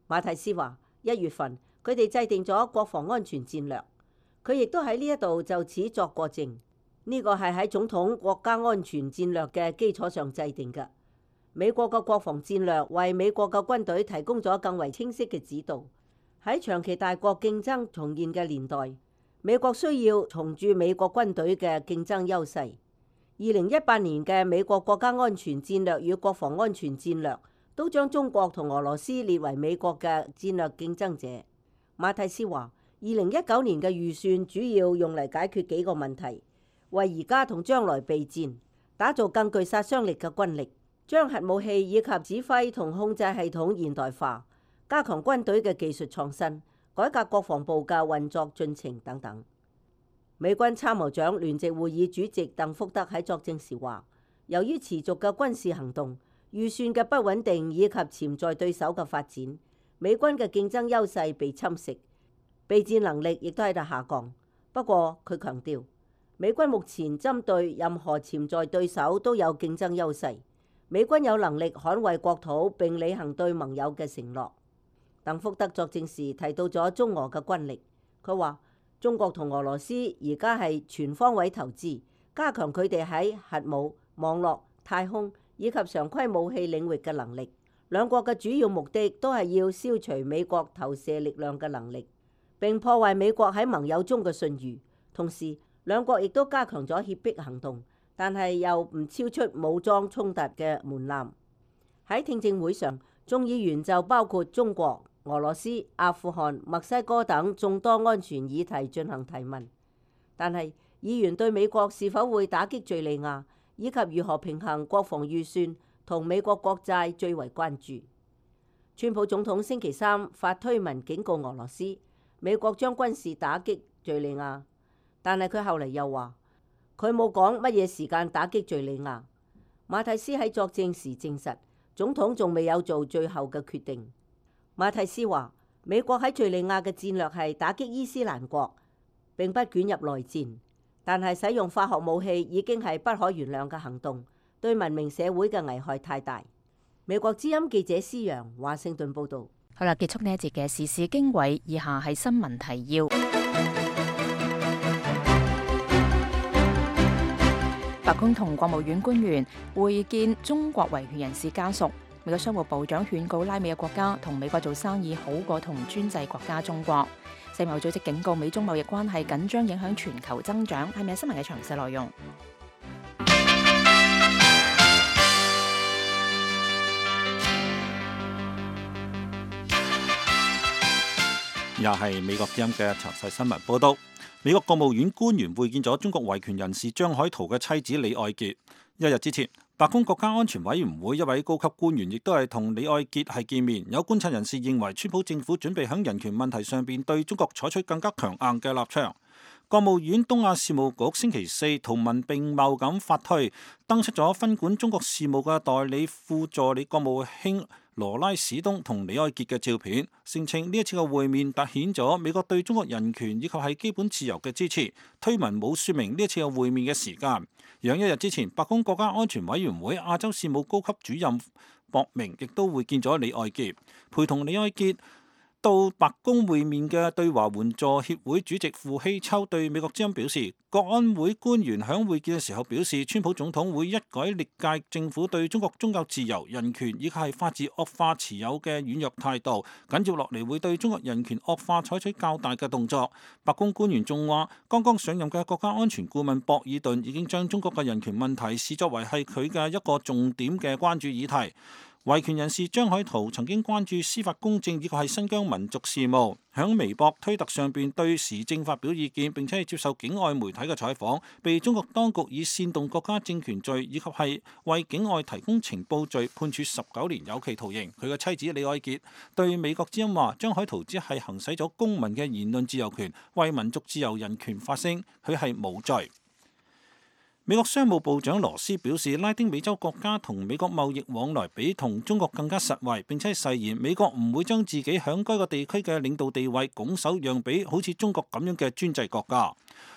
馬蒂斯話：1月份佢哋制定咗國防安全戰略，佢亦都喺呢一度就此作過證。呢個係喺總統國家安全戰略嘅基礎上制定嘅。美國嘅國防戰略為美國嘅軍隊提供咗更為清晰嘅指導。喺長期大國競爭重現嘅年代，美國需要重鑄美國軍隊嘅競爭優勢。2018年嘅美國國家安全戰略與國防安全戰略都將中國同俄羅斯列為美國嘅戰略競爭者。馬蒂斯話：2019年嘅預算主要用嚟解決幾個問題，為而家同將來備戰，打造更具殺傷力嘅軍力，將核武器以及指揮同控制系統現代化，加強軍隊嘅技術創新，改革國防部嘅運作進程等等。美軍參謀長聯席會議主席鄧福德喺作證時話：由於持續嘅軍事行動、預算嘅不穩定以及潛在對手嘅發展，美軍嘅競爭優勢被侵蝕，備戰能力亦都喺度下降。不過佢強調，美軍目前針對任何潛在對手都有競爭優勢，美軍有能力捍衛國土並履行對盟友嘅承諾。鄧福德作證時提到咗中俄嘅軍力，佢話中國同俄羅斯而家係全方位投資，加強佢哋喺核武、網絡、太空以及常規武器領域嘅能力。兩國嘅主要目的都係要消除美國投射力量嘅能力，並破壞美國喺盟友中嘅信譽。同時，兩國亦都加強咗脅迫行動，但係又唔超出武裝衝突嘅門檻。喺聽證會上，眾議員就包括中國、俄羅斯、阿富汗、墨西哥等眾多安全議題進行提問，但係議員對美國是否會打擊敘利亞以及如何平衡國防預算同美國國債最為關注。川普總統星期三發推文警告俄羅斯，美國將軍事打擊敘利亞，但係佢後嚟又話佢冇講乜嘢時間打擊敘利亞。馬蒂斯喺作證時證實，總統仲未有做最後嘅決定。馬蒂斯話：美國喺敘利亞嘅戰略係打擊伊斯蘭國，並不捲入內戰，但係使用化學武器已經係不可原諒嘅行動，對文明社會嘅危害太大。美國之音記者施陽華盛頓報導。好啦，結束呢一節嘅時事經緯，以下係新聞提要。白宮同國務院官員會見中國維權人士家屬。美國商務部長勸告拉美嘅國家同美國做生意好過同專制國家中國。世貿組織警告美中貿易關係緊張影響全球增長。係咪新聞嘅詳細內容？又係美國之音嘅詳細新聞報道。美國國務院官員會見咗中國維權人士張海圖嘅妻子李愛潔。一日之前，白宮國家安全委員會一位高級官員亦都係同李愛潔係見面。有觀察人士認為，川普政府準備喺人權問題上邊對中國採取更加強硬嘅立場。國務院東亞事務局星期四圖文並茂咁發推，登出咗分管中國事務嘅代理副助理國務卿羅拉史東同李愛潔嘅照片，聲稱呢一次嘅會面凸顯咗美國對中國人權以及係基本自由嘅支持。推文冇說明呢一次嘅會面嘅時間。而一日之前，白宮國家安全委員會亞洲事務高級主任博明亦都會見咗李愛潔，陪同李愛潔到白宮會面嘅對華援助協會主席傅希秋對美國之音表示，國安會官員響會見嘅時候表示，川普總統會一改歷屆政府對中國宗教自由、人權以及係法治惡化持有嘅軟弱態度，緊接落嚟會對中國人權惡化採取較大嘅動作。白宮官員仲話，剛剛上任嘅國家安全顧問博爾頓已經將中國嘅人權問題視作為係佢嘅一個重點嘅關注議題。維權人士張海圖曾經關注司法公正以及係新疆民族事務，響微博、推特上邊對時政發表意見，並且係接受境外媒體嘅採訪，被中國當局以煽動國家政權罪以及係為境外提供情報罪判處19年有期徒刑。佢嘅妻子李愛潔對美國之音話，張海圖只係行使咗公民嘅言論自由權，為民族自由人權發聲，佢係無罪。美國商務部長羅斯表示，拉丁美洲國家同美國貿易往來比同中國更加實惠，並且誓言美國唔會將自己響該個地區嘅領導地位拱手讓俾好似中國咁樣嘅專制國家。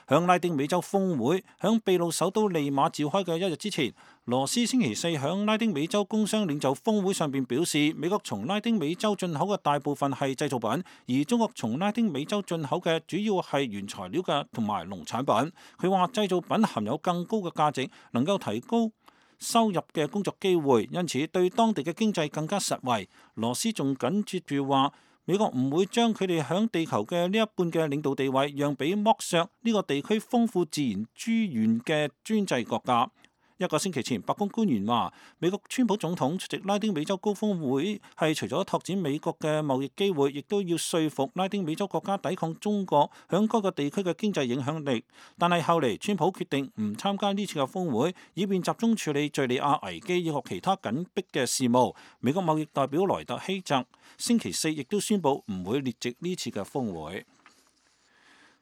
響拉丁美洲峰會響秘魯首都利馬召開嘅一日之前，羅斯星期四響拉丁美洲工商領袖峰會上邊表示，美國從拉丁美洲進口嘅大部分係製造品，而中國從拉丁美洲進口嘅主要係原材料嘅同埋農產品。佢話製造品含有更高嘅價值，能夠提高收入嘅工作機會，因此對當地嘅經濟更加實惠。羅斯仲緊接住話，美國唔會將佢哋響地球嘅呢一半嘅領導地位讓俾剝削呢個地區豐富自然資源嘅專制國家。一個星期前，白宮官員話，美國川普總統出席拉丁美洲高峰會係除咗拓展美國嘅貿易機會，亦都要說服拉丁美洲國家抵抗中國響該個地區嘅經濟影響力。但係後嚟，川普決定唔參加呢次嘅峰會，以便集中處理敘利亞危機以及其他緊迫嘅事務。美國貿易代表萊特希澤星期四亦都宣布唔會列席呢次嘅峰會。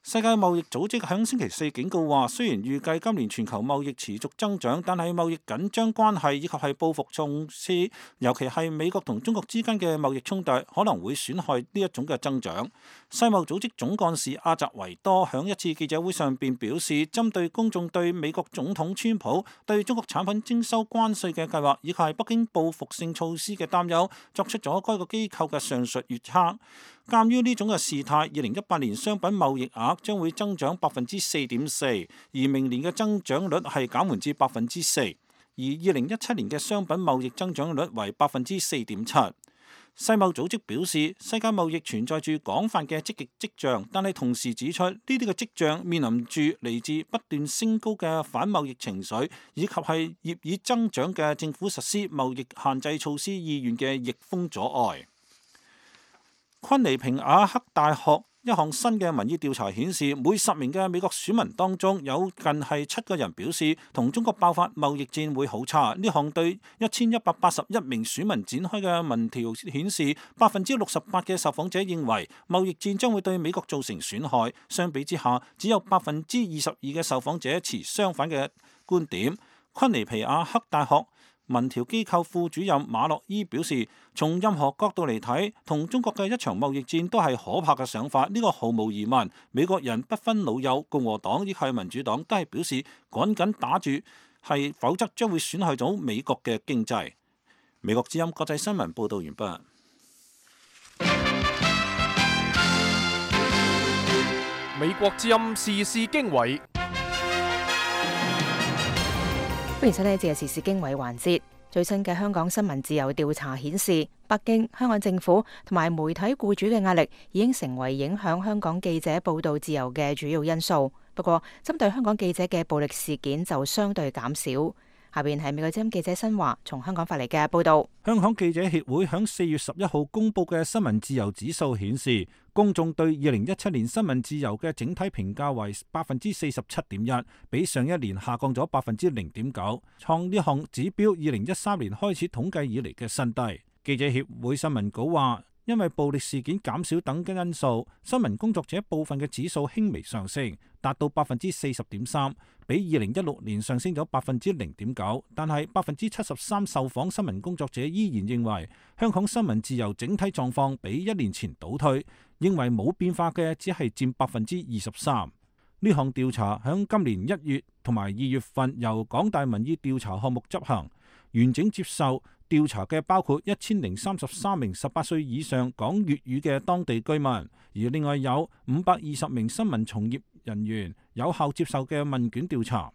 世界貿易組織喺星期四警告話，雖然預計今年全球貿易持續增長，但係貿易緊張關係以及係報復措施，尤其係美國同中國之間嘅貿易衝突，可能會損害呢一種嘅增長。世貿組織總幹事阿澤維多喺一次記者會上邊表示，針對公眾對美國總統川普對中國產品徵收關稅嘅計劃，以及係北京報復性措施嘅擔憂，作出咗該個機構嘅上述預測。鑑於呢種嘅事態，2018年商品貿易額將會增長4.4%，而明年嘅增長率係減緩至4%，而2017年嘅商品貿易增長率為4.7%。世貿組織表示，世界貿易存在住廣泛嘅積極跡象，但係同時指出呢啲嘅跡象面臨住嚟自不斷升高嘅反貿易情緒，以及係業已增長嘅政府實施貿易限制措施意願嘅逆風阻礙。昆尼平瓦克大學一項新嘅民意調查顯示，每10名嘅美國選民當中有近係7個人表示同中國爆發貿易戰會好差。呢項對1181名選民展開嘅民調顯示，68%嘅受訪者認為貿易戰將會對美國造成損害。相比之下，只有22%嘅受訪者持相反嘅觀點。昆尼皮亞克大學民調機構副主任馬洛伊表示，從任何角度嚟睇，同中國嘅一場貿易戰都係可怕嘅想法。呢個毫無疑問，美國人不分老幼，共和黨亦係民主黨都係表示趕緊打住，否則將會損害到美國嘅經濟。美國之音國際新聞報道完畢。美國之音時事經緯。歡迎收聽呢節嘅時事經緯環節。最新嘅香港新聞自由調查顯示，北京、香港政府同埋媒體僱主嘅壓力已經成為影響香港記者報道自由嘅主要因素。不過，針對香港記者嘅暴力事件就相對減少。下邊係美國之音記者新華從香港發嚟嘅報道。香港記者協會喺4月11號公佈嘅新聞自由指數顯示，公眾對2017年新聞自由嘅整體評價為47.1%，比上一年下降咗0.9%，創呢項指標2013年開始統計以嚟嘅新低。記者協會新聞稿話，因為暴力事件減少等嘅因素，新聞工作者部分嘅指數輕微上升，達到40.3%，比2016年上升咗0.9%。但係73%受訪新聞工作者依然認為香港新聞自由整體狀況比1年前倒退，認為冇變化嘅只係佔23%。呢項調查響今年1月同埋2月份由港大民意調查項目執行，完整接受調查嘅包括1033名18歲以上講粵語嘅當地居民，而另外有520名新聞從業人員有效接受嘅問卷調查。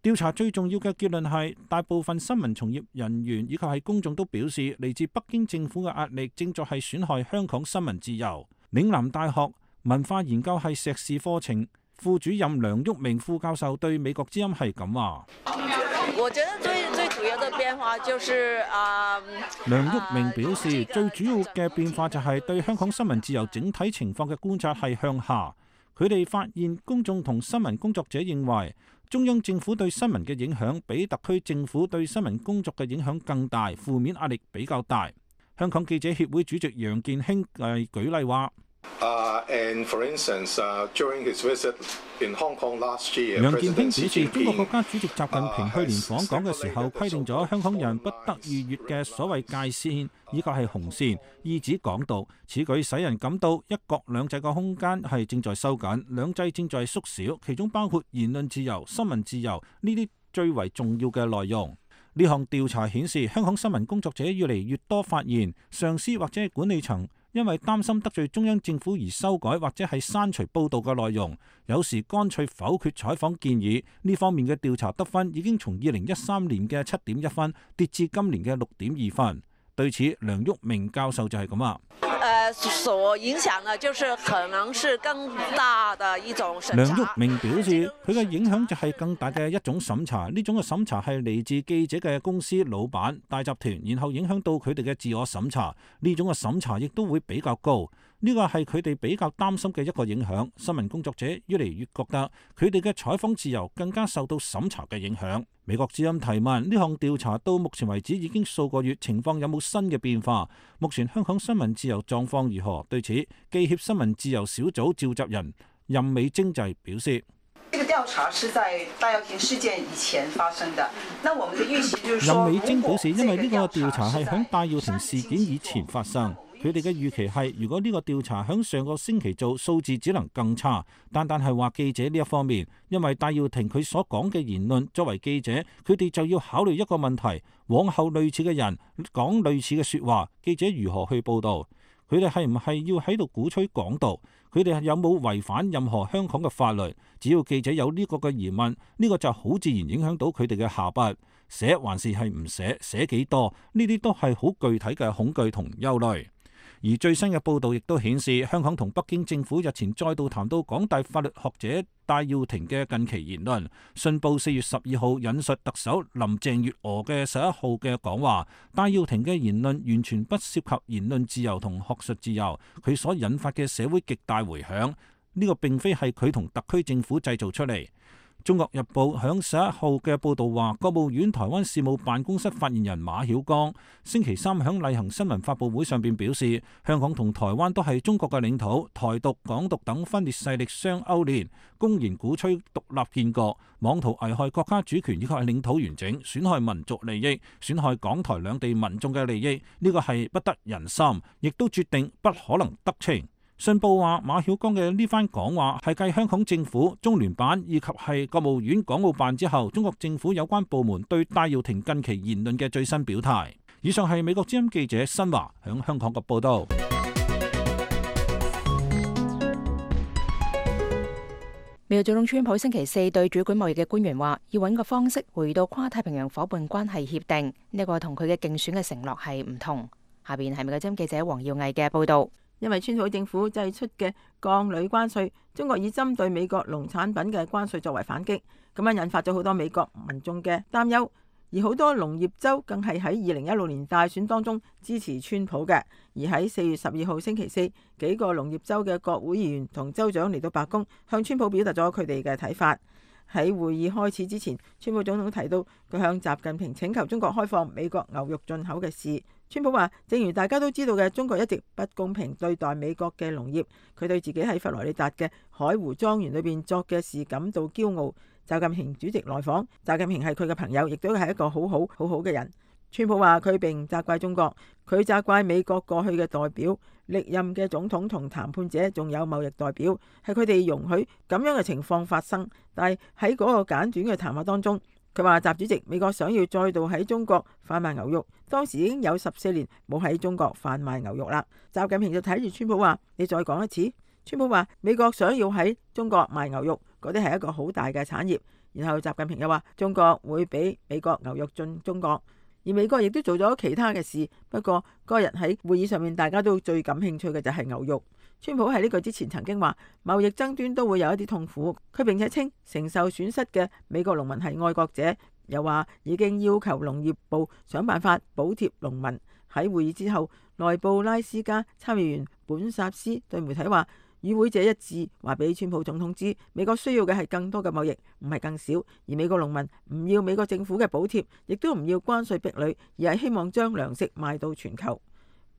調查最重要嘅結論係，大部分新聞從業人員以及係公眾都表示，嚟自北京政府嘅壓力正在係損害香港新聞自由。嶺南大學文化研究系碩士課程副主任梁旭明副教授對美國之音係咁話。我覺得最主要的變化就是梁旭明表示，最主要嘅變化就係對香港新聞自由整體情況嘅觀察係向下。佢哋發現公眾同新聞工作者認為中央政府對新聞嘅影響比特區政府對新聞工作嘅影響更大，負面壓力比較大。香港記者協會主席楊健興舉例話。楊健興表示，中國國家主席習近平去年訪港嘅時候規定咗香港人不得逾越嘅所謂界線，以及係紅線，意指港獨。此舉使人感到一國兩制嘅空間係正在收緊，兩制正在縮小，其中包括言論自由、新聞自由呢啲最為重要嘅內容。呢項調查顯示，香港新聞工作者越嚟越多發現，上司或者係管理層因為擔心得罪中央政府而修改或者係刪除報導嘅內容，有時乾脆否決採訪建議。呢方面嘅調查得分已經從2013年嘅7.1分跌至今年嘅6.2分。對此，梁旭明教授就係咁話。所影響呢，就是可能是更大的一種審查。梁旭明表示，佢嘅影響就係更大嘅一種審查，呢種嘅審查係嚟自記者嘅公司老闆、大集團，然後影響到佢哋嘅自我審查，呢種嘅審查亦都會比較高。呢個係佢哋比較擔心嘅一個影響。新聞工作者越嚟越覺得佢哋嘅採訪自由更加受到審查嘅影響。美國之音提問：呢項調查到目前為止已經數個月，情況有冇新嘅變化？目前香港新聞自由狀況如何？對此，記協新聞自由小組召集人任美晶就表示：這個調查是在戴耀廷事件以前發生的。那我們的預期就是說，任美晶表示，因為呢個調查係響戴耀廷事件以前發生。佢哋嘅預期係，如果呢個調查響上個星期做，數字只能更差。單係話記者呢一方面，因為戴耀廷佢所講嘅言論，作為記者，佢哋就要考慮一個問題：往後類似嘅人講類似嘅説話，記者如何去報導？佢哋係唔係要喺度鼓吹港獨？佢哋有冇違反任何香港嘅法律？只要記者有呢個嘅疑問，呢個就好自然影響到佢哋嘅下筆，寫還是係唔寫，寫幾多？呢啲都係好具體嘅恐懼同憂慮。而最新嘅報道亦都顯示，香港同北京政府日前再度談到港大法律學者戴耀廷嘅近期言論。信報4月12號引述特首林鄭月娥嘅11號嘅講話，戴耀廷嘅言論完全不涉及言論自由同學術自由，佢所引發嘅社會極大迴響，呢個並非係佢同特區政府製造出嚟。中國日報響11號嘅報導話，國務院台灣事務辦公室發言人馬曉光星期三響例行新聞發佈會上邊表示，香港同台灣都係中國嘅領土，台獨、港獨等分裂勢力相勾連，公然鼓吹獨立建國，妄圖危害國家主權以及領土完整，損害民族利益，損害港台兩地民眾嘅利益，呢個係不得人心，亦都決定不可能得逞。信報話，馬曉光嘅呢番講話係繼香港政府、中聯辦以及係國務院港澳辦之後，中國政府有關部門對戴耀廷近期言論嘅最新表態。以上係美國之音記者新華響香港嘅報道。美國總統川普星期四對主管貿易嘅官員話，要揾個方式回到跨太平洋夥伴關係協定，呢個同佢嘅競選嘅承諾係唔同。下邊係美國之音記者黃耀毅嘅報道。因為川普政府祭出嘅鋼鋁關稅，中國以針對美國農產品嘅關稅作為反擊，咁樣引發咗好多美國民眾嘅擔憂，而好多農業州更係喺2016年大選當中支持川普嘅。而喺4月12號星期四，幾個農業州嘅國會議員同州長嚟到白宮，向川普表達咗佢哋嘅睇法。喺會議開始之前，川普總統提到佢向習近平請求中國開放美國牛肉進口嘅事。川普話，正如大家都知道嘅，中國一直不公平對待美國嘅農業，佢對自己喺佛羅里達嘅海湖莊園裏邊作嘅事感到驕傲。習近平主席來訪，習近平係佢嘅朋友，亦都係一個好好嘅人。川普話佢並唔責怪中國，佢責怪美國過去嘅代表、歷任嘅總統同談判者，仲有貿易代表，係佢哋容許咁樣嘅情況發生。但係喺嗰個簡短嘅談話當中，佢話習主席，美國想要再度喺中國販賣牛肉，當時已經有14年冇喺中國販賣牛肉啦。習近平就睇住川普話，你再講一次。川普話美國想要喺中國賣牛肉，嗰啲係一個好大嘅產業。然後習近平又話中國會俾美國牛肉進中國，而美國亦都做咗其他嘅事。不過嗰日喺會議上面，大家都最感興趣嘅就係牛肉。川普喺呢個之前曾經話貿易爭端都會有一啲痛苦，佢並且稱承受損失嘅美國農民係愛國者，又話已經要求農業部想辦法補貼農民。喺會議之後，內布拉斯加參議員本薩斯對媒體話，與會者一致話俾川普總統知，美國需要嘅係更多嘅貿易，唔係更少。而美國農民唔要美國政府嘅補貼，亦都唔要關稅壁壘，而係希望將糧食賣到全球。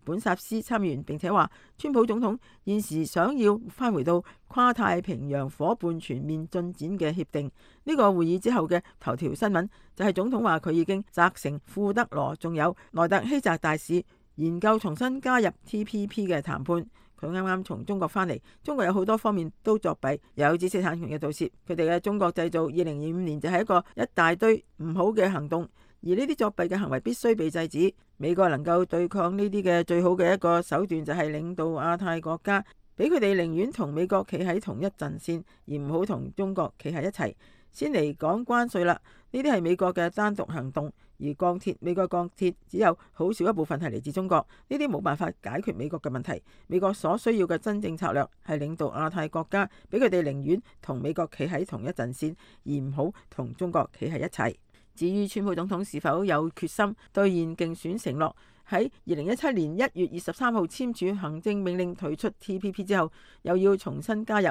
本薩斯參議員並且話，川普總統現時想要返回到跨太平洋夥伴全面進展嘅協定。呢個會議之後嘅頭條新聞就係總統話佢已經責成庫德羅仲有萊特希澤大使研究重新加入 TPP 嘅談判。佢啱啱從中國返嚟，中國有好多方面都作弊，有知識產權嘅盜竊，佢哋嘅中國製造2025年就係一大堆唔好嘅行動。而呢啲作弊嘅行為必須被制止。美國能夠對抗呢啲嘅最好嘅一個手段就係領導亞太國家，俾佢哋寧願同美國企喺同一陣線，而唔好同中國企喺一齊。先嚟講關稅啦，呢啲係美國嘅單獨行動，而鋼鐵，美國鋼鐵只有好少一部分係嚟自中國，呢啲冇辦法解決美國嘅問題。美國所需要嘅真正策略係領導亞太國家，俾佢哋寧願同美國企喺同一陣線，而唔好同中國企喺一齊。至於川普總統是否有決心兌現競選承諾，喺2017年1月23號簽署行政命令退出 TPP 之後，又要重新加入。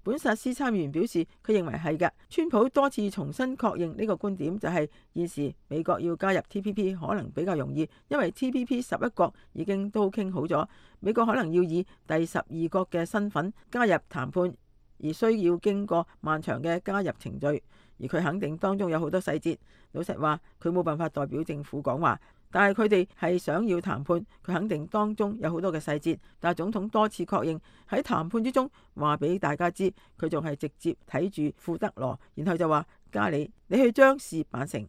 本薩斯參議員表示，佢認為係嘅。川普多次重新確認呢個觀點，就係現時美國要加入 TPP 可能比較容易，因為 TPP 11國已經都傾好咗，美國可能要以第12國嘅身份加入談判，而需要經過漫長嘅加入程序。而佢肯定當中有好多細節。老實話，佢冇辦法代表政府講話，但係佢哋係想要談判，佢肯定當中有好多嘅細節。但係總統多次確認喺談判之中話俾大家知，佢仲係直接睇住庫德羅，然後就話加你去將事辦成。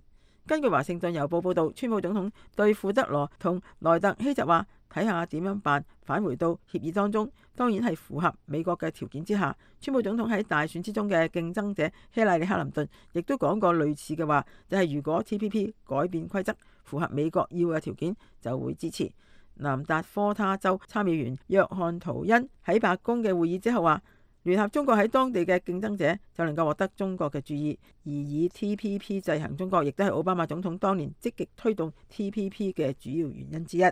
根據華盛頓郵報報導，川普總統對庫德羅同萊特希澤話，睇下點樣辦，返回到協議當中，當然係符合美國嘅條件之下。川普總統喺大選之中嘅競爭者希拉里克林頓亦都講過類似嘅話，就係如果 TPP 改變規則，符合美國要嘅條件，就會支持。南達科他州參議員約翰圖恩喺白宮嘅會議之後話，聯合中國喺當地嘅競爭者就能夠獲得中國嘅注意，而以 TPP 制衡中國亦都係奧巴馬總統當年積極推動 TPP 嘅主要原因之一。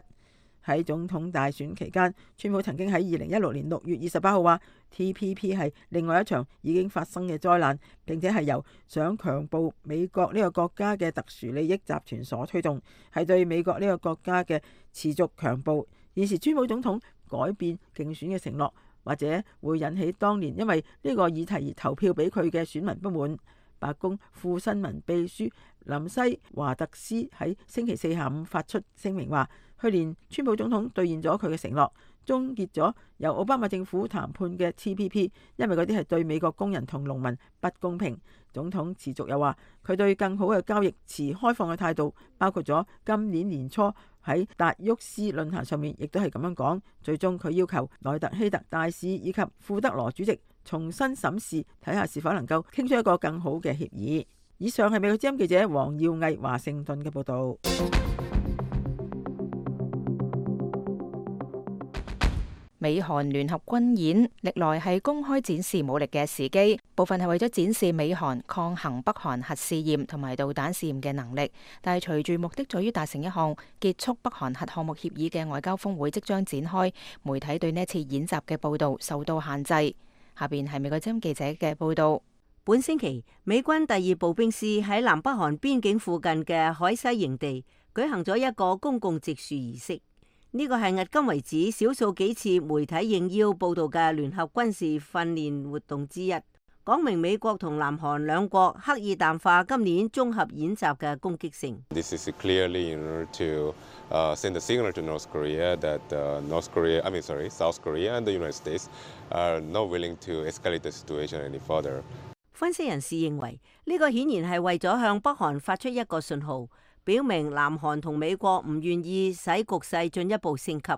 喺總統大選期間，川普曾經喺2016年6月28號話 TPP 係另外一場已經發生嘅災難，並且係由想強暴美國呢個國家嘅特殊利益集團所推動，係對美國呢個國家嘅持續強暴。現時川普總統改變競選嘅承諾，或者會引起當年因為呢個議題而投票俾佢嘅選民不滿。白宮副新聞秘書林西華特斯喺星期四下午發出聲明話，去年川普總統兌現咗佢嘅承諾，終結咗由奧巴馬政府談判嘅 TPP， 因為嗰啲係對美國工人同農民不公平。總統持續又話，佢對更好嘅交易持開放嘅態度，包括咗今年年初喺達沃斯論壇上面亦都係咁樣講。最終佢要求萊特希特大使以及庫德羅主席重新審視，睇下是否能夠傾出一個更好嘅協議。以上係美國之音記者黃耀毅華盛頓嘅報道。美韓聯合軍演歷來係公開展示武力嘅時機，部分係為咗展示美韓抗衡北韓核試驗同埋導彈試驗嘅能力。但係隨住目的在於達成一項結束北韓核項目協議嘅外交峰會即將展開，媒體對呢次演習嘅報導受到限制。下邊係美國之音記者嘅報導。本星期，美軍第2步兵師喺南北韓邊境附近嘅海西營地舉行咗一個公共植樹儀式。呢個係迄今為止少數幾次媒體應邀報導嘅聯合軍事訓練活動之一，講明美國同南韓兩國刻意淡化今年綜合演習嘅攻擊性。This is clearly in order to send a signal to North Korea that South Korea and the United States are not willing to escalate the situation any further. 分析人士認為，呢個顯然係為咗向北韓發出一個信號，表明南韓同美國唔願意使局勢進一步升級。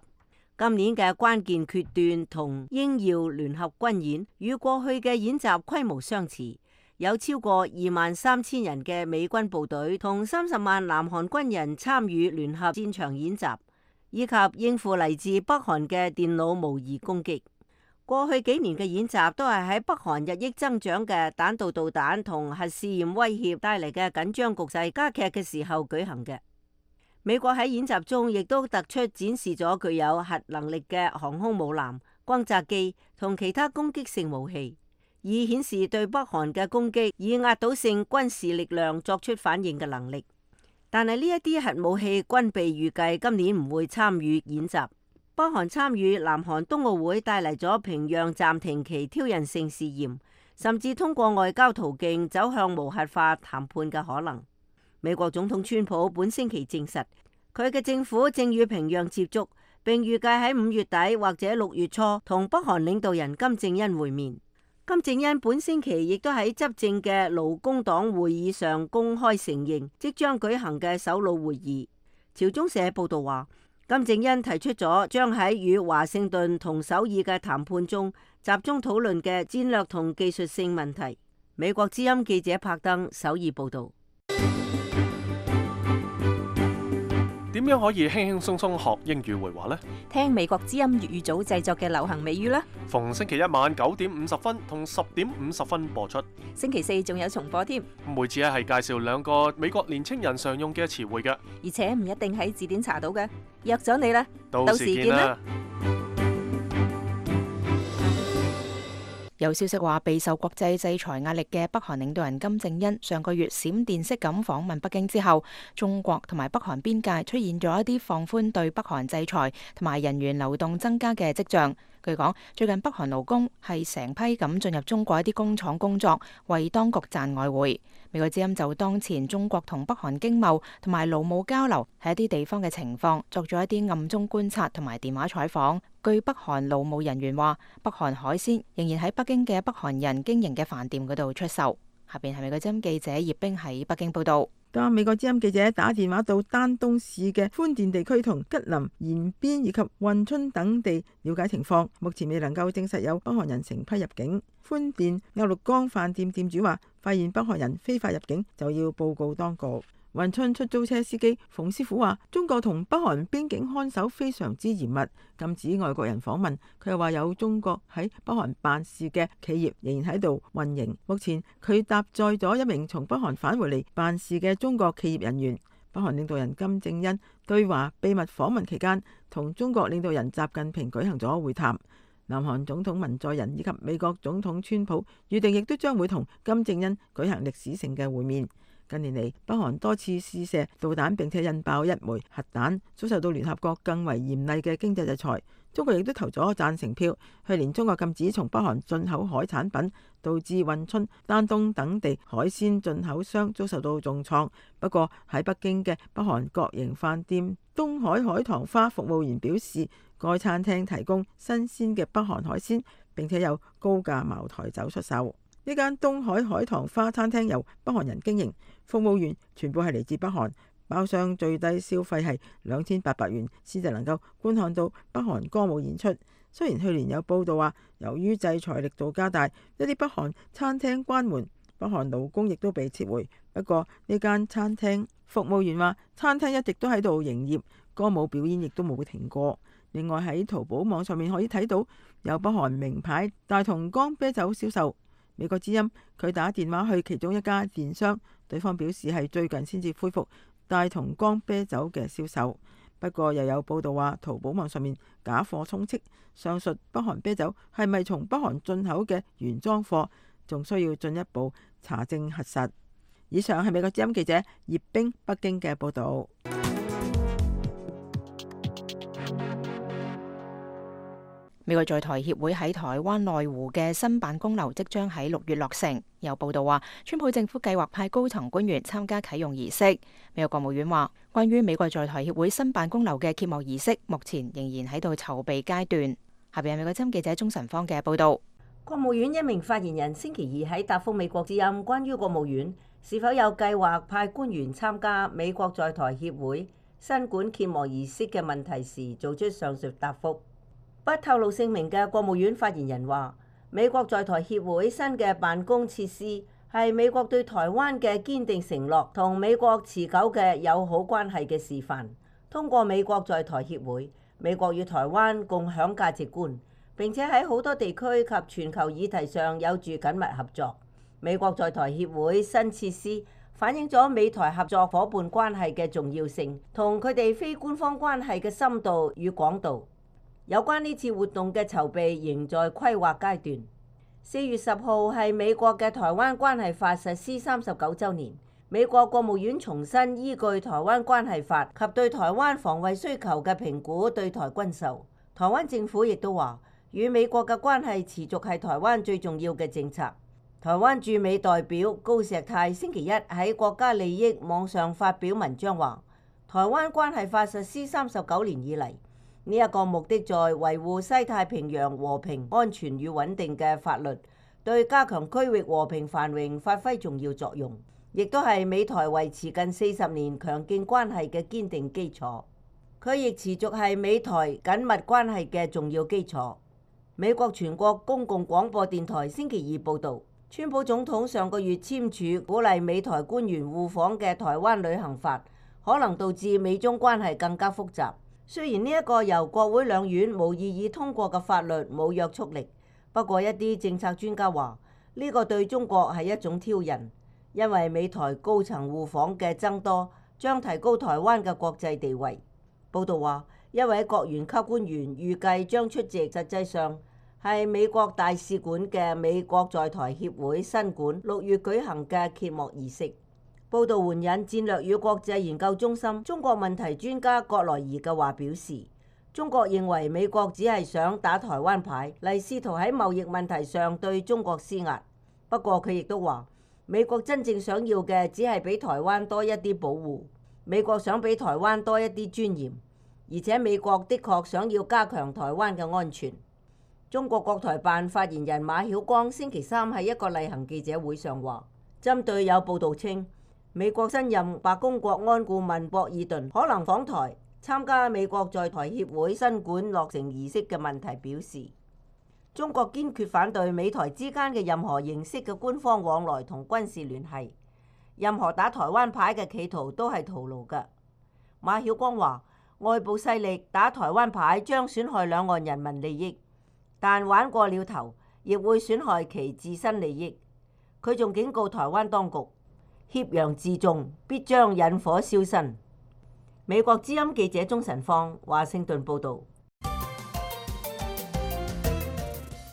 今年嘅關鍵決斷同英耀聯合軍演與過去嘅演習規模相似，有超過23,000人嘅美軍部隊同30萬南韓軍人參與聯合戰場演習，以及應付嚟自北韓嘅電腦模擬攻擊。過去幾年嘅演習都係喺北韓日益增長嘅彈道導彈同核試驗威脅帶嚟嘅緊張局勢加劇嘅時候舉行嘅。美國喺演習中亦都突出展示咗具有核能力嘅航空母艦、轟炸機同其他攻擊性武器，以顯示對北韓嘅攻擊以壓倒性軍事力量作出反應嘅能力。但係呢一啲核武器軍備預計今年唔會參與演習。北韓參與南韓冬奧會帶嚟咗平壤暫停其挑釁性試驗，甚至通過外交途徑走向無核化談判嘅可能。美國總統川普本星期證實，佢嘅政府正與平壤接觸，並預計喺5月底或者6月初同北韓領導人金正恩會面。金正恩本星期亦都喺執政嘅勞工黨會議上公開承認即將舉行嘅首腦會議。朝中社報道話，金正恩提出咗將喺與華盛頓同首爾嘅談判中集中討論嘅戰略同技術性問題。美國之音記者柏登首爾報道。點樣可以輕輕鬆鬆學英語會話呢？聽美國之音粵語組製作嘅流行美語啦。逢星期一晚9點50分同10點50分播出。星期四仲有重播添。每次係介紹2個美國年青人常用嘅詞彙嘅，而且唔一定喺字典查到嘅。約咗你啦，到時見啦。有消息話，備受國際制裁壓力嘅北韓領導人金正恩上個月閃電式咁訪問北京之後，中國同埋北韓邊界出現咗一啲放寬對北韓制裁同埋人員流動增加嘅跡象。據講，最近北韓勞工係成批咁進入中國一啲工廠工作，為當局賺外匯。美國之音就當前中國同北韓經貿同埋勞務交流喺一啲地方嘅情況，作咗一啲暗中觀察同埋電話採訪。據北韓勞務人員話，北韓海鮮仍然喺北京嘅北韓人經營嘅飯店嗰度出售。下邊係美國之音記者葉冰喺北京報道。當美國之音記者打電話到丹東市嘅寬甸地區同吉林延邊以及運春等地了解情況，目前未能夠證實有北韓人成批入境。寬甸鴨綠江飯店店主話，發現北韓人非法入境就要報告當局。運春出租車司機馮師傅話：中國同北韓邊境看守非常之嚴密，禁止外國人訪問。佢又話有中國喺北韓辦事嘅企業仍然喺度運營。目前佢搭載咗一名從北韓返回嚟辦事嘅中國企業人員。北韓領導人金正恩對華秘密訪問期間，同中國領導人習近平舉行咗會談。南韓總統文在寅以及美國總統川普預定亦都將會同金正恩舉行歷史性嘅會面。近年嚟，北韓多次試射導彈並且引爆一枚核彈，遭受到聯合國更為嚴厲嘅經濟制裁。中國亦都投咗贊成票。去年中國禁止從北韓進口海產品，導致運春、丹東等地海鮮進口商遭受到重創。不過喺北京嘅北韓國營飯店東海海棠花服務員表示，該餐廳提供新鮮嘅北韓海鮮，並且有高價茅台酒出售。呢間東海海棠花餐廳由北韓人經營，服務員全部係嚟自北韓，包廂最低消費係2800元先至能夠觀看到北韓歌舞演出。雖然去年有報道話，由於制裁力度加大，一啲北韓餐廳關門，北韓勞工亦都被撤回。不過呢間餐廳服務員話，餐廳一直都喺度營業，歌舞表演亦都冇停過。另外喺淘寶網上面可以睇到有北韓名牌大同江啤酒銷售。美國之音佢打電話去其中一家電商，對方表示係最近先至恢復大同江啤酒嘅銷售。不過又有報道話，淘寶網上面假貨充斥，上述北韓啤酒係咪從北韓進口嘅原裝貨，仲需要進一步查證核實。以上係美國之音記者葉冰北京嘅報道。美國在台協會喺台灣內湖嘅新辦公樓即將喺6月落成。有報道話，川普政府計劃派高層官員參加啟用儀式。美國國務院話，關於美國在台協會新辦公樓嘅揭幕儀式，目前仍然喺度籌備階段。下邊係美國之音記者鍾晨芳嘅報道。國務院一名發言人星期二喺答覆美國之音關於國務院是否有計劃派官員參加美國在台協會新館揭幕儀式嘅問題時，做出上述答覆。不透露姓名嘅國務院發言人話，美國在台協會新嘅辦公設施係美國對台灣嘅堅定承諾同美國持久嘅友好關係嘅示範。通過美國在台協會，美國與台灣共享價值觀，並且喺好多地區及全球議題上有住緊密合作。美國在台協會新設施反映咗美台合作伙伴關係嘅重要性同佢哋非官方關係嘅深度與廣度。有關呢次活動嘅籌備仍在規劃階段。4月10號係美國嘅台灣關係法實施39週年，美國國務院重新依據台灣關係法及對台灣防衛需求嘅評估對台軍售。台灣政府亦都話，與美國嘅關係持續係台灣最重要嘅政策。台灣駐美代表高石泰星期一喺國家利益網上發表文章話，台灣關係法實施39年以嚟，呢一個目的在維護西太平洋和平、安全與穩定嘅法律，對加強區域和平繁榮發揮重要作用，亦都係美台維持近40年強勁關係嘅堅定基礎。佢亦持續係美台緊密關係嘅重要基礎。美國全國公共廣播電台星期二報導，川普總統上個月簽署鼓勵美台官員互訪嘅台灣旅行法，可能導致美中關係更加複雜。雖然呢一個由國會兩院無異議通過嘅法律冇約束力，不過一啲政策專家話呢個對中國係一種挑釁，因為美台高層互訪嘅增多將提高台灣嘅國際地位。報道話，一位國員級官員預計將出席，實際上係美國大使館嘅美國在台協會新館6月舉行嘅揭幕儀式。報道援引戰略與國際研究中心中國問題專家葛萊儀嘅話表示，中國認為美國只係想打台灣牌嚟試圖喺貿易問題上對中國施壓。不過佢亦都話，美國真正想要嘅只係俾台灣多一啲保護，美國想俾台灣多一啲尊嚴，而且美國的確想要加強台灣嘅安全。中國國台辦發言人馬曉光星期三喺一個例行記者會上話，針對有報導稱美國新任白宮國安顧問博爾頓可能訪台參加美國在台協會新館落成儀式嘅問題表示，中國堅決反對美台之間嘅任何形式嘅官方往來同軍事聯繫，任何打台灣牌嘅企圖都係徒勞嘅。馬曉光話：外部勢力打台灣牌將損害兩岸人民利益，但玩過了頭，亦會損害其自身利益。佢仲警告台灣當局，挾洋自重必將引火燒身。美國之音記者鍾晨芳華盛頓報導。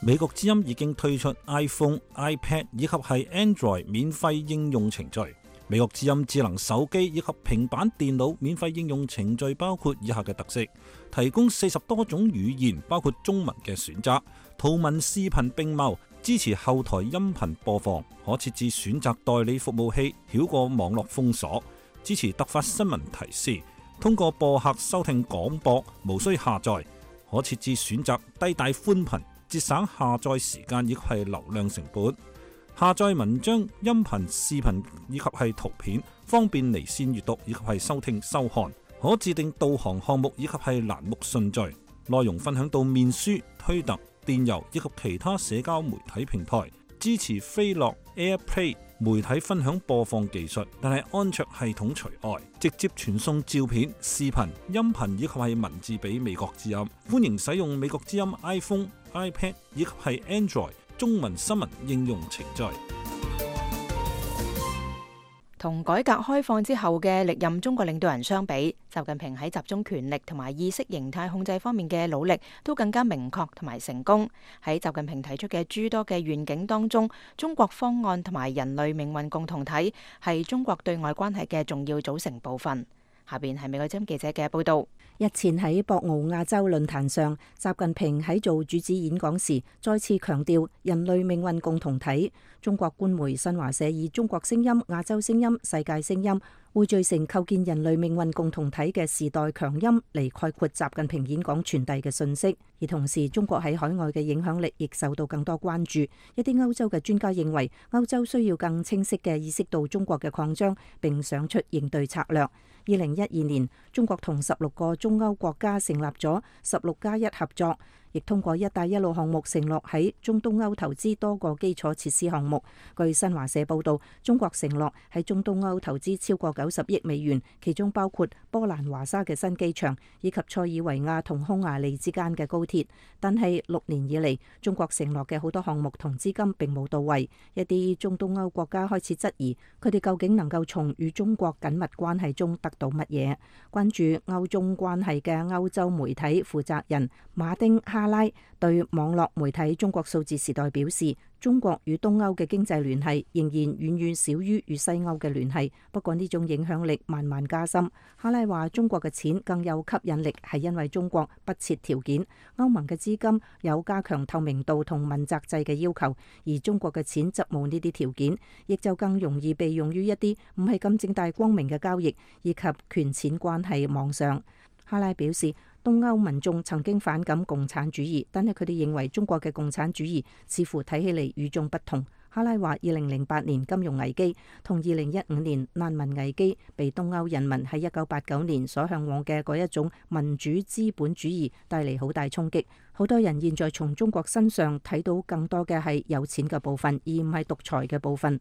美國之音已經推出 iPhone、iPad 以及係 Android 免費應用程序。美國之音智能手機以及平板電腦免費應用程序包括以下嘅特色：提供40多種語言，包括中文嘅選擇，圖文視頻並茂，支持後台音頻播放，可設置選擇代理服務器，繞過網絡封鎖，支持突發新聞提示，通過播客收聽廣播，無需下載，可設置選擇低帶寬頻，節省下載時間以及係流量成本。下載文章、音頻、視頻以及係圖片，方便離線閱讀以及係收聽收看。可自定導航項目以及係欄目順序，內容分享到面書、推特、電郵以及其他社交媒體平台。支持飛樂 AirPlay 媒體分享播放技術，但係安卓系統除外，直接傳送照片、視頻、音頻以及係文字俾美國之音。歡迎使用美國之音 iPhone、iPad 以及係 Android 中文新聞應用程序。同改革開放之後嘅歷任中國領導人相比，習近平喺集中權力同埋意識形態控制方面嘅努力都更加明確同埋成功。喺習近平提出嘅諸多嘅願景當中，中國方案同埋人類命運共同體係中國對外關係嘅重要組成部分。下邊係美國之音記者嘅報道。日前喺博鰲亞洲論壇上，習近平喺做主旨演講時，再次強調人類命運共同體。中國官媒新華社以中國聲音、亞洲聲音、世界聲音匯聚成構建人類命運共同體嘅時代強音嚟概括習近平演講傳遞嘅信息。而同時，中國喺海外嘅影響力亦受到更多關注。一啲歐洲嘅專家認為，歐洲需要更清晰嘅意識到中國嘅擴張，並想出應對策略。2012年，中國同16個中歐國家成立咗16+1合作，亦通過一帶一路項目承諾喺中東歐投資多個基礎設施項目。據新華社報道，中國承諾喺中東歐投資超過90億美元，其中包括波蘭華沙嘅新機場以及塞爾維亞同匈牙利之間嘅高鐵。但係6年以嚟，中國承諾嘅好多項目同資金並冇到位，一啲中東歐國家開始質疑佢哋究竟能夠從與中國緊密關係中得到乜嘢。關注歐中關係嘅歐洲媒體負責人馬丁哈拉對網絡媒體中國數字時代表示，中國與東歐嘅經濟聯繫仍然遠遠少於與西歐嘅聯繫，不過呢種影響力慢慢加深。哈拉話中國嘅錢更有吸引力係因為中國不設條件，歐盟嘅資金有加強透明度同問責制嘅要求，而中國嘅錢則冇呢啲條件，亦就更容易被用於一啲唔係咁正大光明嘅交易以及權錢關係網上。哈拉表示，東歐民眾曾經反感共產主義，但係佢哋認為中國嘅共產主義似乎睇起嚟與眾不同。哈拉話2008年金融危機同2015年難民危機被東歐人民喺1989年所向往嘅嗰一種民主資本主義帶嚟好大衝擊。好多人現在從中國身上睇到更多嘅係有錢嘅部分，而唔係獨裁嘅部分。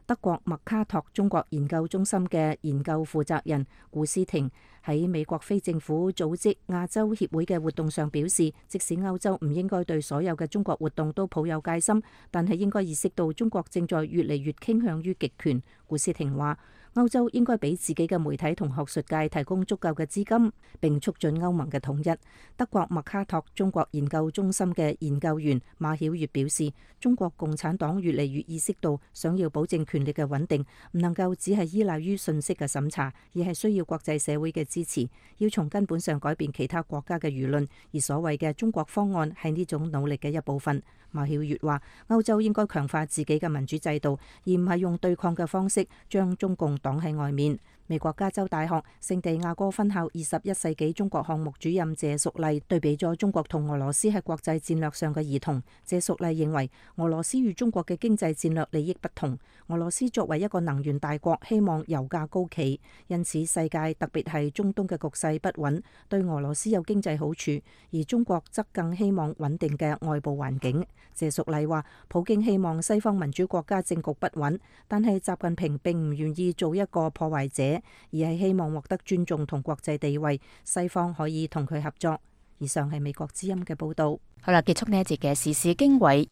德國麥卡托中國研究中心嘅研究負責人古斯廷喺美國非政府組織亞洲協會嘅活動上表示，即使歐洲唔應該對所有嘅中國活動都抱有戒心，但係應該意識到中國正在越嚟越傾向於極權。古斯廷話，歐洲應該俾自己嘅媒體同學術界提供足夠嘅資金，並促進歐盟嘅統一。德國麥卡托中國研究中心嘅研究員馬曉月表示，中國共產黨越嚟越意識到，想要保證權力嘅穩定，唔能夠只係依賴於信息嘅審查，而係需要國際社會嘅支持，要從根本上改變其他國家嘅輿論。而所謂嘅中國方案係呢種努力嘅一部分。馬曉月話，歐洲應該強化自己嘅民主制度，而唔係用對抗嘅方式將中共擋喺外面。美國加州大學聖地亞哥分校21世紀中國項目主任謝淑麗對比咗中國同俄羅斯喺國際戰略上嘅異同。謝淑麗認為俄羅斯與中國嘅經濟戰略利益不同。俄羅斯作為一個能源大國，希望油價高企，因此世界特別係中東嘅局勢不穩，對俄羅斯有經濟好處，而中國則更希望穩定嘅外部環境。謝淑麗話，普京希望西方民主國家政局不穩，但係習近平並唔願意做一個破壞者，而係希望獲得尊重同國際地位，西方可以同佢合作。以上係美國之音嘅報道。好啦，結束呢一節嘅時事經緯。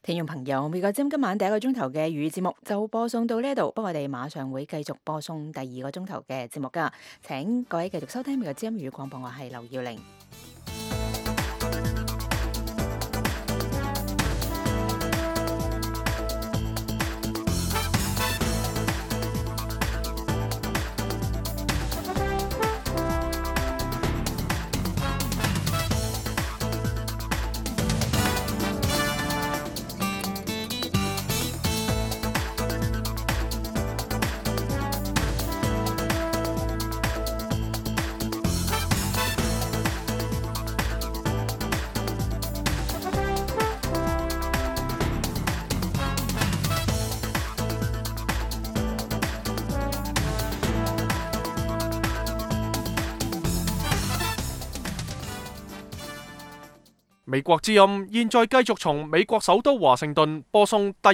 聽眾朋友，美國之音今晚第一個鐘頭嘅粵語節目就播送到呢度，不過我哋馬上會繼續播送第二個鐘頭嘅節目噶，請各位繼續收聽美國之音粵語廣播，我係劉耀玲。美國之音現在繼續從美國首都華盛頓播送第